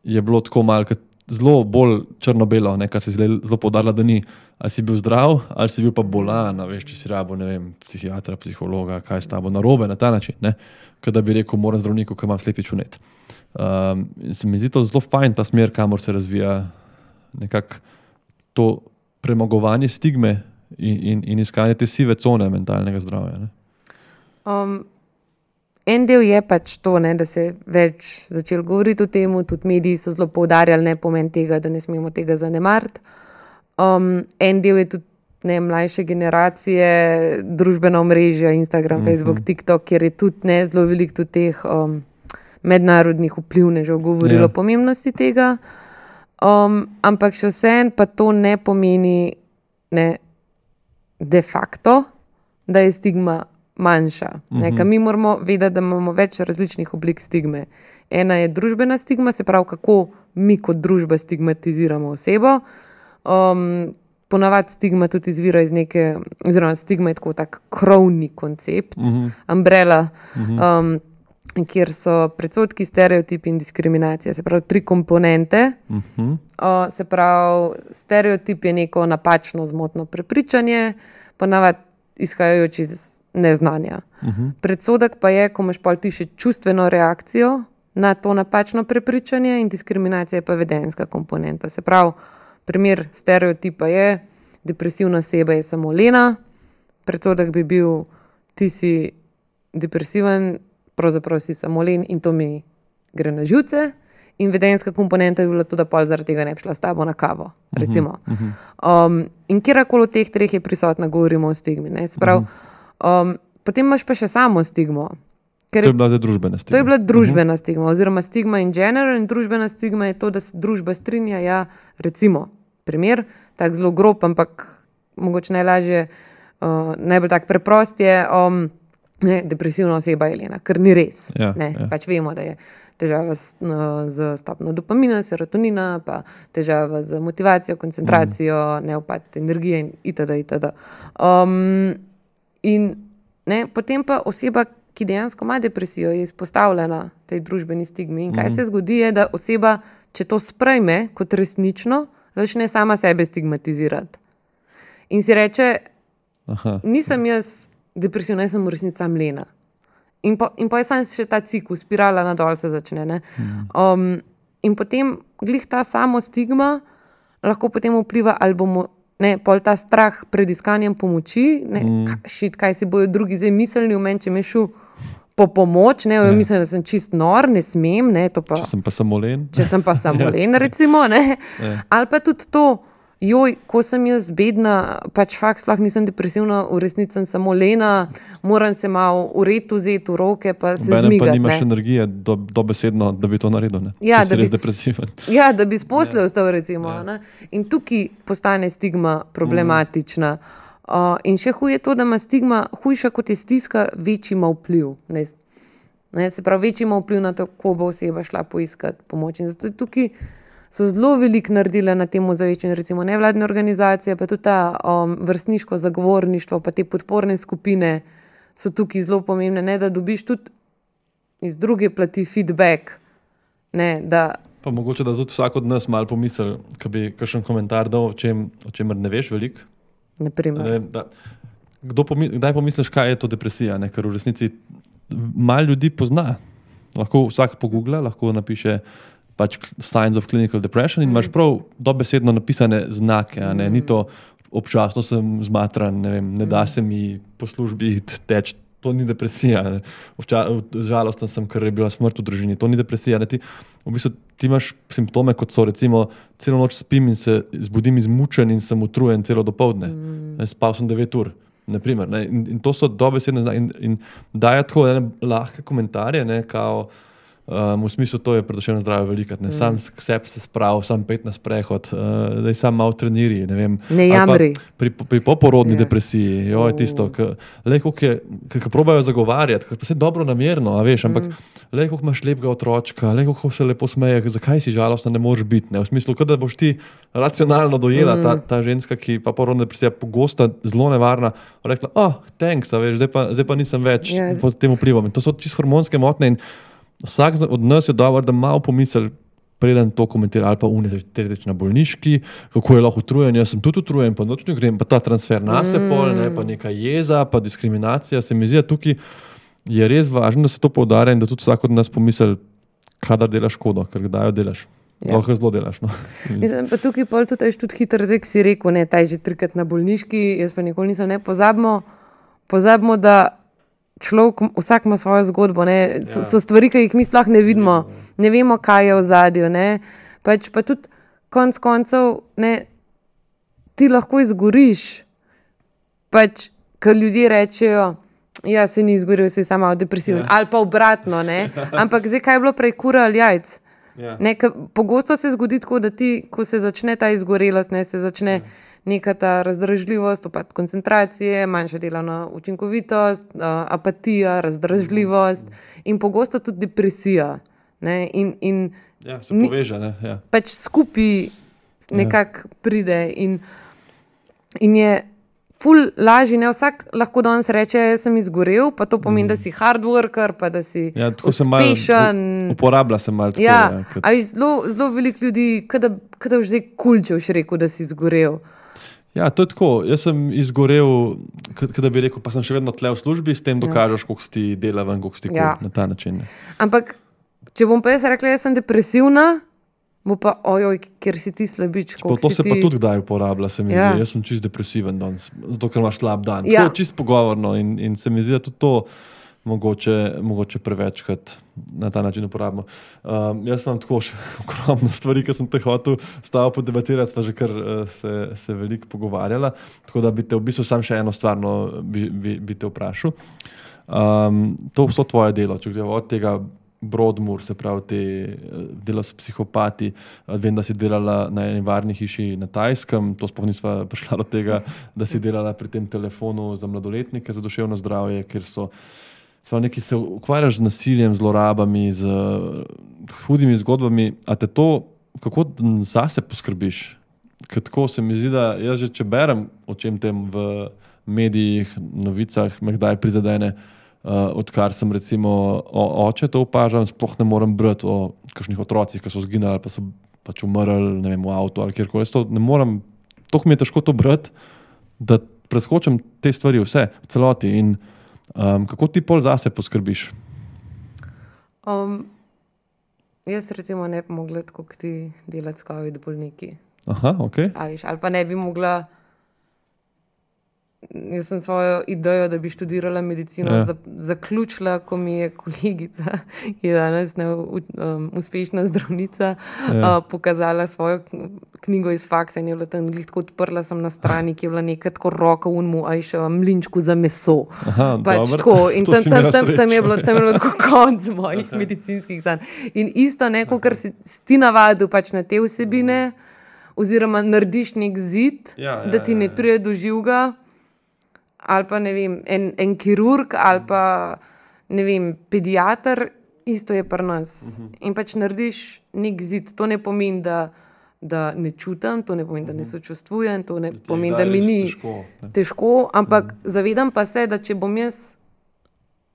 je bilo tako malo zelo bolj črno-belo, ne, kar si zelo poudarila, da ni, ali si bil zdrav, ali si bil pa bolan, veš, če si rabo, ne vem, psihiatra, psihologa, kaj s tabo narobe na ta način, ne, kot da bi rekel, moram zdravniku, ki imam slepi čunet. Um, se mi zdi to zelo fajn, ta smer, kamor se razvija nekako to premagovanje stigme In, in, in iskanje te sive cone mentalnega zdravja. Ne? Um, en del je pač to, ne, da se več začel govoriti o tem, tudi mediji so zelo poudarjali ne pomen tega, da ne smemo tega zanemariti. Um, en del je tudi ne, mlajše generacije, družbena omrežja, Instagram, mm-hmm. Facebook, TikTok, kjer je tudi ne, zelo veliko tudi teh um, mednarodnih vplivnežev govorilo yeah. o pomembnosti tega. Um, ampak še vseeno pa to ne pomeni ne, de facto, da je stigma manjša. Mm-hmm. Mi moramo vedeti, da imamo več različnih oblik stigme. Ena je družbena stigma, se pravi, kako mi kot družba stigmatiziramo osebo. Um, ponavadi stigma tudi izvira iz neke, oziroma stigma je tako tak krovni koncept, mm-hmm. umbrella, mm-hmm. um, kjer so predsodki, stereotipi in diskriminacija. Se pravi, tri komponente. Mm-hmm. Uh, se pravi, stereotip je neko napačno, zmotno prepričanje, ponavadi izhajajoč iz neznanja. Uh-huh. Predsodek pa je, ko imaš pol ti še čustveno reakcijo na to napačno prepričanje in diskriminacija je pa vedenjska komponenta. Se pravi, primer stereotipa je, depresivna oseba je samo lena, predsodek bi bil, ti si depresiven, pravzaprav si samo len in to mi gre na živce. In vedenjska komponenta je bila tudi, da pol zaradi tega ne bi šla s tabo na kavo, recimo. Uh-huh. Um, in kjerkoli od teh treh je prisotna, govorimo o stigmi. Ne? Se pravi, um, potem imaš pa še samo stigmo. Ker to je bila zdaj družbena stigma. To je bila družbena uh-huh. stigma, oziroma stigma in general, in družbena stigma je to, da se družba strinja, ja, recimo, primer, tak zelo grob, ampak mogoče najlažje, uh, najbolj tak preprost je, um, ne, depresivna oseba je lena, ker ni res. Ja, ne, ja. Pač vemo, da je težava z, z stopno dopamina, serotonina, pa težava z motivacijo, koncentracijo, mm. neupad energije in itd. itd. Um, in ne, potem pa oseba, ki dejansko ima depresijo, je izpostavljena tej družbeni stigmi. In kaj mm. se zgodi je, da oseba, če to sprejme kot resnično, začne sama sebe stigmatizirati. In si reče, Aha. nisem jaz depresivna, jaz sem v resnici sam lena. In pa, in pa je sam še ta ciklus, spirala nadol se začne. Ne? Um, in potem glih ta samo stigma lahko potem vpliva, ali bomo, ne, pol ta strah pred iskanjem pomoči, ne, mm. šit, kaj si bojo drugi zdaj mislili v meni, če me šel po pomoč, ne, ja. mislim, da sem čist nor, ne smem, ne, to pa... Če sem pa samo len. Če sem pa samo len, recimo, ne. Ja. Ali pa tudi to, joj, ko sem jaz bedna, pač fakt sploh nisem depresivna, v resnici sem samo lena, moram se malo ured vzeti v roke, pa se Bene zmigati. Pa nimaš ne. energije do, dobesedno, da bi to naredil, ne? Ja, da bi res depresiven. Ja, da bi sposle ostal, recimo. Ja. Ne? In tukaj postane stigma problematična. Mm. Uh, in še huje to, da ima stigma hujša, kot je stiska, večji ima vpliv. Ne? Ne? Se pravi, večji ima vpliv na to, ko bo oseba šla poiskati pomoč. In zato tukaj so zelo veliko naredile na tem ozaveščanju, recimo nevladne organizacije, pa tudi ta um, vrstniško zagovorništvo, pa te podporne skupine so tukaj zelo pomembne, ne, da dobiš tudi iz druge plati feedback. Ne, da pa mogoče, da tudi vsak od nas malo pomisli, ko bi kakšen komentar dal, o čem, o čemer ne veš veliko. Naprimer. Da, kdo pomi, kdaj pomisliš, kaj je to depresija, ne? Ker v resnici malo ljudi pozna. Lahko vsak pogoogla, lahko napiše pač signs of clinical depression in mm. imaš prav dobesedno napisane znake, a ne, mm. ni to občasno sem zmatran, ne vem, ne da se mi po službi teč, to ni depresija, ne. Obča, žalosten sem, ker je bila smrt v družini, to ni depresija, ne, ti, v bistvu ti imaš simptome, kot so recimo celo noč spim in se zbudim izmučen in sem utrujen celo dopoldne, mm. spal sem devet ur, naprimer, ne, in, in to so dobesedne znake in, in daje tako ne, lahke komentarje, ne, kao Um, v smislu, to je predošljeno zdravje velikrat. Mm. Sam k sebi se sprav, sam pet na sprehod, uh, da je sam malo treniri. Ne, vem, ne jamri. Pri, pri poporodni yeah. depresiji, jo je tisto, ki probajo zagovarjati, ki pa se dobro namerno, a veš, ampak mm. le, kako imaš lepega otročka, le, kako se lepo smeje, zakaj si žalostna, ne moreš biti. Ne? V smislu, da boš ti racionalno dojela mm. ta, ta ženska, ki pa porodna depresija pogosta, zelo nevarna, rekla, oh, thanks, a veš, zdaj pa, zdaj pa nisem več yes. pod tem vplivom. In to so čisto hormonske motnje in vsak od nas je dobro, da malo pomisli, preden to komentira, ali pa unaj, tretjič na bolniški, kako je lahko utrujen, jaz sem tudi utrujen, pa noč ne grem, pa ta transfer na se pol, ne, pa neka jeza, pa diskriminacija, se mi zdi, tukaj je res važno, da se to poudarja in da tudi vsak od nas pomisli, kadar delaš škodo, ker kdaj jo delaš. Ja. Lahko zelo delaš. No. Mislim, pa tukaj pol tudi, tudi hitro, zdaj, ki si rekel, ne, taj že trikrat na bolniški, jaz pa nikoli nisem, ne, pozabimo, pozabimo, da človek, vsak ima svojo zgodbo, ne? So, so stvari, ki jih mi sploh ne vidimo, ne vemo, kaj je v zadju, ne, pač pa tudi konc koncev, ne, ti lahko izgoriš, pač, ker ljudje rečejo, ja, se ni izgoril, si samo depresiven, ja. Ali pa obratno, ne, ampak zdaj, kaj je bilo prej kura ali jajc, ja. Ne, pogosto se zgodi tako, da ti, ko se začne ta izgorelost, ne, se začne ja. Neka ta razdražljivost, upad koncentracije, manjša delovna učinkovitost, uh, apatija, razdražljivost in pogosto tudi depresija. Ne? In, in ja, se poveže, ne? Ja. Pač skupaj nekako ja. Pride in, in je ful lažji, ne? Vsak lahko danes reče, sem izgorel, pa to pomeni, mm. da si hard worker, pa da si ja, uspešen. Mal, uporablja se malo tako. Ja, ja, kot... a zelo, zelo veliko ljudi, kada, kada už zdaj kulčev še rekel, da si izgorel. Ja, to je tako. Jaz sem izgorel, kada bi rekel, pa sem še vedno tle v službi, s tem dokažeš, koliko si delaven, koliko si ja. Kul, na ta način. Ne. Ampak, če bom pa jaz rekla, jaz sem depresivna, bo pa, ojoj, ker si ti slabič. To se ti... pa tudi kdaj uporablja, se mi ja. Zdi. Jaz sem čist depresiven danes, zato ker imaš slab dan. Ja. To je čist pogovorno in, in se mi zdi, da tudi to mogoče, mogoče prevečkrat na ta način uporabimo. Um, jaz imam tako še ogromno stvari, ki sem te hotel stavil podebatirati, sva že kar uh, se, se veliko pogovarjala, tako da bi te v bistvu sam še eno stvarno bi, bi, bi te vprašal. Um, to vso tvoje delo, če gremo od tega Broadmoor, se pravi te delo s psihopati, vem, da si delala na eni varni hiši na Tajskem, to sploh nisva prišla do tega, da si delala pri tem telefonu za mladoletnike, za duševno zdravje, kjer so neki se ukvarjaš z nasiljem, zlorabami, z hudimi zgodbami, a te to, kako zase poskrbiš? Ker tako se mi zdi, da jaz že če berem o čem tem v medijih, novicah, me kdaj prizadene, uh, odkar sem recimo o, oče to opažam, sploh ne morem brati o kakšnih otrocih, ki so zginali ali pa so pač umrli, ne vem, v avtu ali kjerkoli. To ne morem, toliko mi je težko to brati, da preskočim te stvari vse, v celoti in Um, kako ti pol zase poskrbiš? Um, jaz recimo ne bi mogla tako kot ti delati s COVID bolniki. Aha, ok. A, viš, ali pa ne bi mogla, jaz sem svojo idejo, da bi študirala medicino, ja. Zaključila, ko mi je kolegica, ki je danes ne, um, uspešna zdravnica, ja. uh, pokazala svojo knjigo iz faksa in je bila tam tako odprla sem na strani, ki je bila nekaj tako roka unmu, a je še mlinčku za meso. Aha, pač tako. In tam, tam, tam, tam je bilo, tam je bilo tako konc mojih medicinskih sanj. In isto neko, kar si, si ti navadil pač na te vsebine, oziroma narediš nek zid, ja, ja, da ti ne pride do živega, ali pa ne vem, en, en kirurg, ali pa ne vem, pediater, isto je pri nas. Uh-huh. In pač narediš nek zid. To ne pomeni, da, da ne čutim, to ne pomeni, uh-huh. da ne sočustvujem, to ne pomeni, da mi ni težko, težko ampak uh-huh. zavedam pa se, da če bom jaz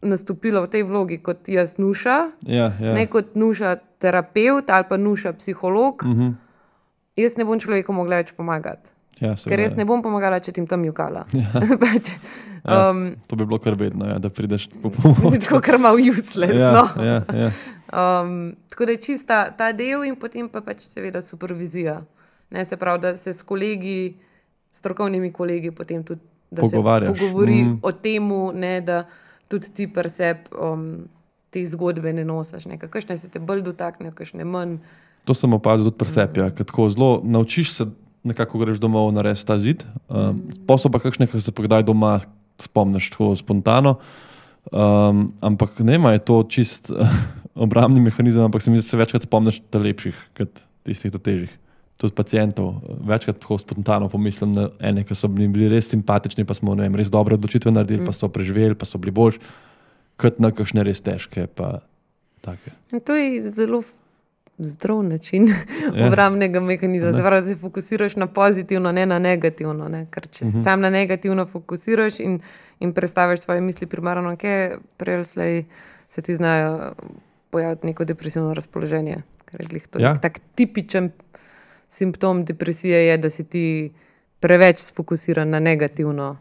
nastopila v tej vlogi kot jaz Nuša, ja, ja. ne kot Nuša terapeut ali pa Nuša psiholog, uh-huh. jaz ne bom človeku mogla več pomagati. Ja, ker jaz ne bom pomagala, če ti tam jukala. Ja. pač, Ja, um, to bi bilo kar vedno, ja, da prideš po pomoč. Mislim, tako kar malo useless. Ja, no? ja, ja. Um, tako da je čista ta del in potem pa pač seveda supervizija. Ne, se pravi, da se s kolegi, strokovnimi kolegi potem tudi da se pogovori mm. o temu, ne, da tudi ti preseb um, te zgodbe ne nosiš. Kakšne se te bolj dotaknejo, kakšne manj. To sem opazil tudi preseb, mm. ja, kad tako zelo naučiš se, nekako greš domov narediti ta zid. Um, mm. Posel pa kakšne, ki se pa kdaj doma spomniš tako spontano, um, ampak nema je to čist uh, obrambni mehanizem, ampak se mi se večkrat spomniš ta lepših, kot tistih ta težjih. Tudi pacijentov. Večkrat tako spontano pomislim na ene, ki so bili, bili res simpatični, pa smo ne vem, res dobre odločitve naredili, mm. pa so preživeli, pa so bili boljši, kot na kakšne res težke. Pa take. To je zelo zdrav način ja. obrambnega mehanizma. Se pravi, da se fokusiraš na pozitivno, ne na negativno. Ne? Ker če uh-huh. sam na negativno fokusiraš in, in predstaviš svoje misli primarno, kaj prej slej se ti znajo pojaviti neko depresivno razpoloženje. Ker je to ja. tak tipičen simptom depresije je, da si ti preveč sfokusiran na negativno.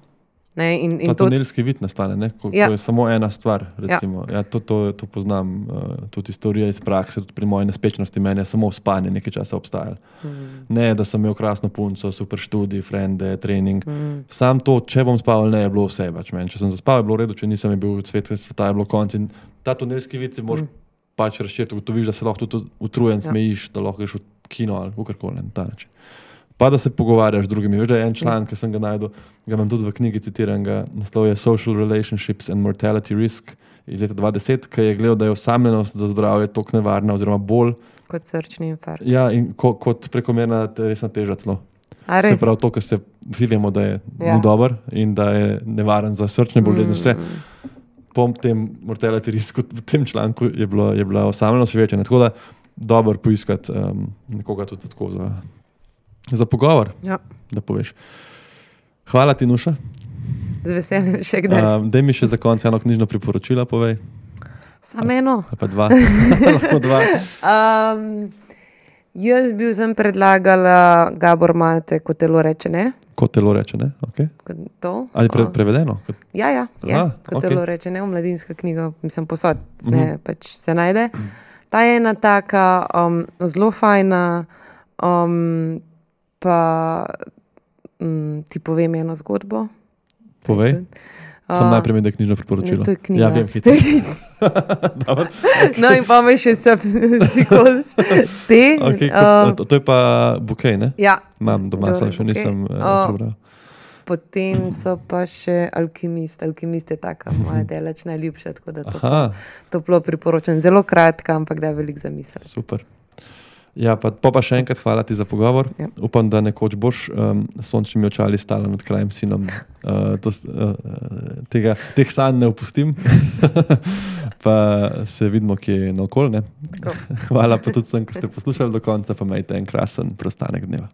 Ne, in, in ta tunelski vid nastane, ne? Ko, ja. ko je samo ena stvar. Recimo. Ja. Ja, to, to, to poznam, uh, tudi iz teorije iz prakse, tudi pri moji nespečnosti meni je samo spanje nekaj časa obstajalo. Mm. Ne, da sem imel krasno punco, super študij, frende, trening. Mm. Sam to, če bom spal, ne je bilo vse več meni. Če sem zaspal, je bilo v redu, če nisem, je bil svet, sveta je bilo konc. In ta tunelski vid si moraš mm. pač razširiti, ugotoviš, da se lahko tudi utrujen ja. smejiš, da lahko greš v kino ali v karkoli na ta način. Pa da se pogovarjaš z drugimi. Veš, da je en članek, ki sem ga najdel, ga imam tudi v knjigi, citiram ga, naslov je Social Relationships and Mortality Risk iz leta dva tisoč deset, ki je gledal, da je osamljenost za zdravje toliko nevarna oziroma bolj kot srčni infarkt. Ja, in ko, kot prekomerna resna teža celo. Se pravi to, kar se vsi vemo, da je ja. ni dober in da je nevaren za srčne bolezni. Vse. Po tem mortality risku v tem članku je, bilo, je bila osamljenost večja. Tako da dobro poiskati um, nekoga tudi tako za Za pogovor, ja. da poveš. Hvala ti, Nuša. Z veseljem še kdaj. Um, daj mi še za konec eno knjižno priporočila, povej. Samo eno. Ali pa dva. Lahko dva. Um, jaz bil sem predlagala Gabor Mate, Ko telo reče ne. Ko telo reče ne, ok. To. Ali pre, prevedeno? Kot... Ja, ja, je. Aha, Ko okay. telo reče ne, mladinska knjiga, mislim posod, uh-huh. ne, pač se najde. Ta je ena taka um, zelo fajna, um, pa um, ti povem eno zgodbo. Povej. Sam uh, najprej mi da knjižno priporočilo. Ne, to je knjiga. Ja, vem, hitro. okay. No in pa me še subsequels te. Okay, uh, to, to je pa bukej, ne? Ja. Imam doma, samo še nisem uh, prebral. Potem so pa še Alkimist. Alkimist je taka moja delač najljubša, tako da to toplo priporočam. Zelo kratka, ampak da je veliko za misel. Super. Ja, pa, pa, pa še enkrat hvala ti za pogovor. Ja. Upam, da nekoč boš um, sončnimi očali stala nad krajem sinom. Uh, to, uh, tega, teh sanj ne opustim. Pa se vidimo, kje je naokol. Hvala pa tudi vsem, ki ste poslušali do konca, pa imejte en krasen preostanek dneva.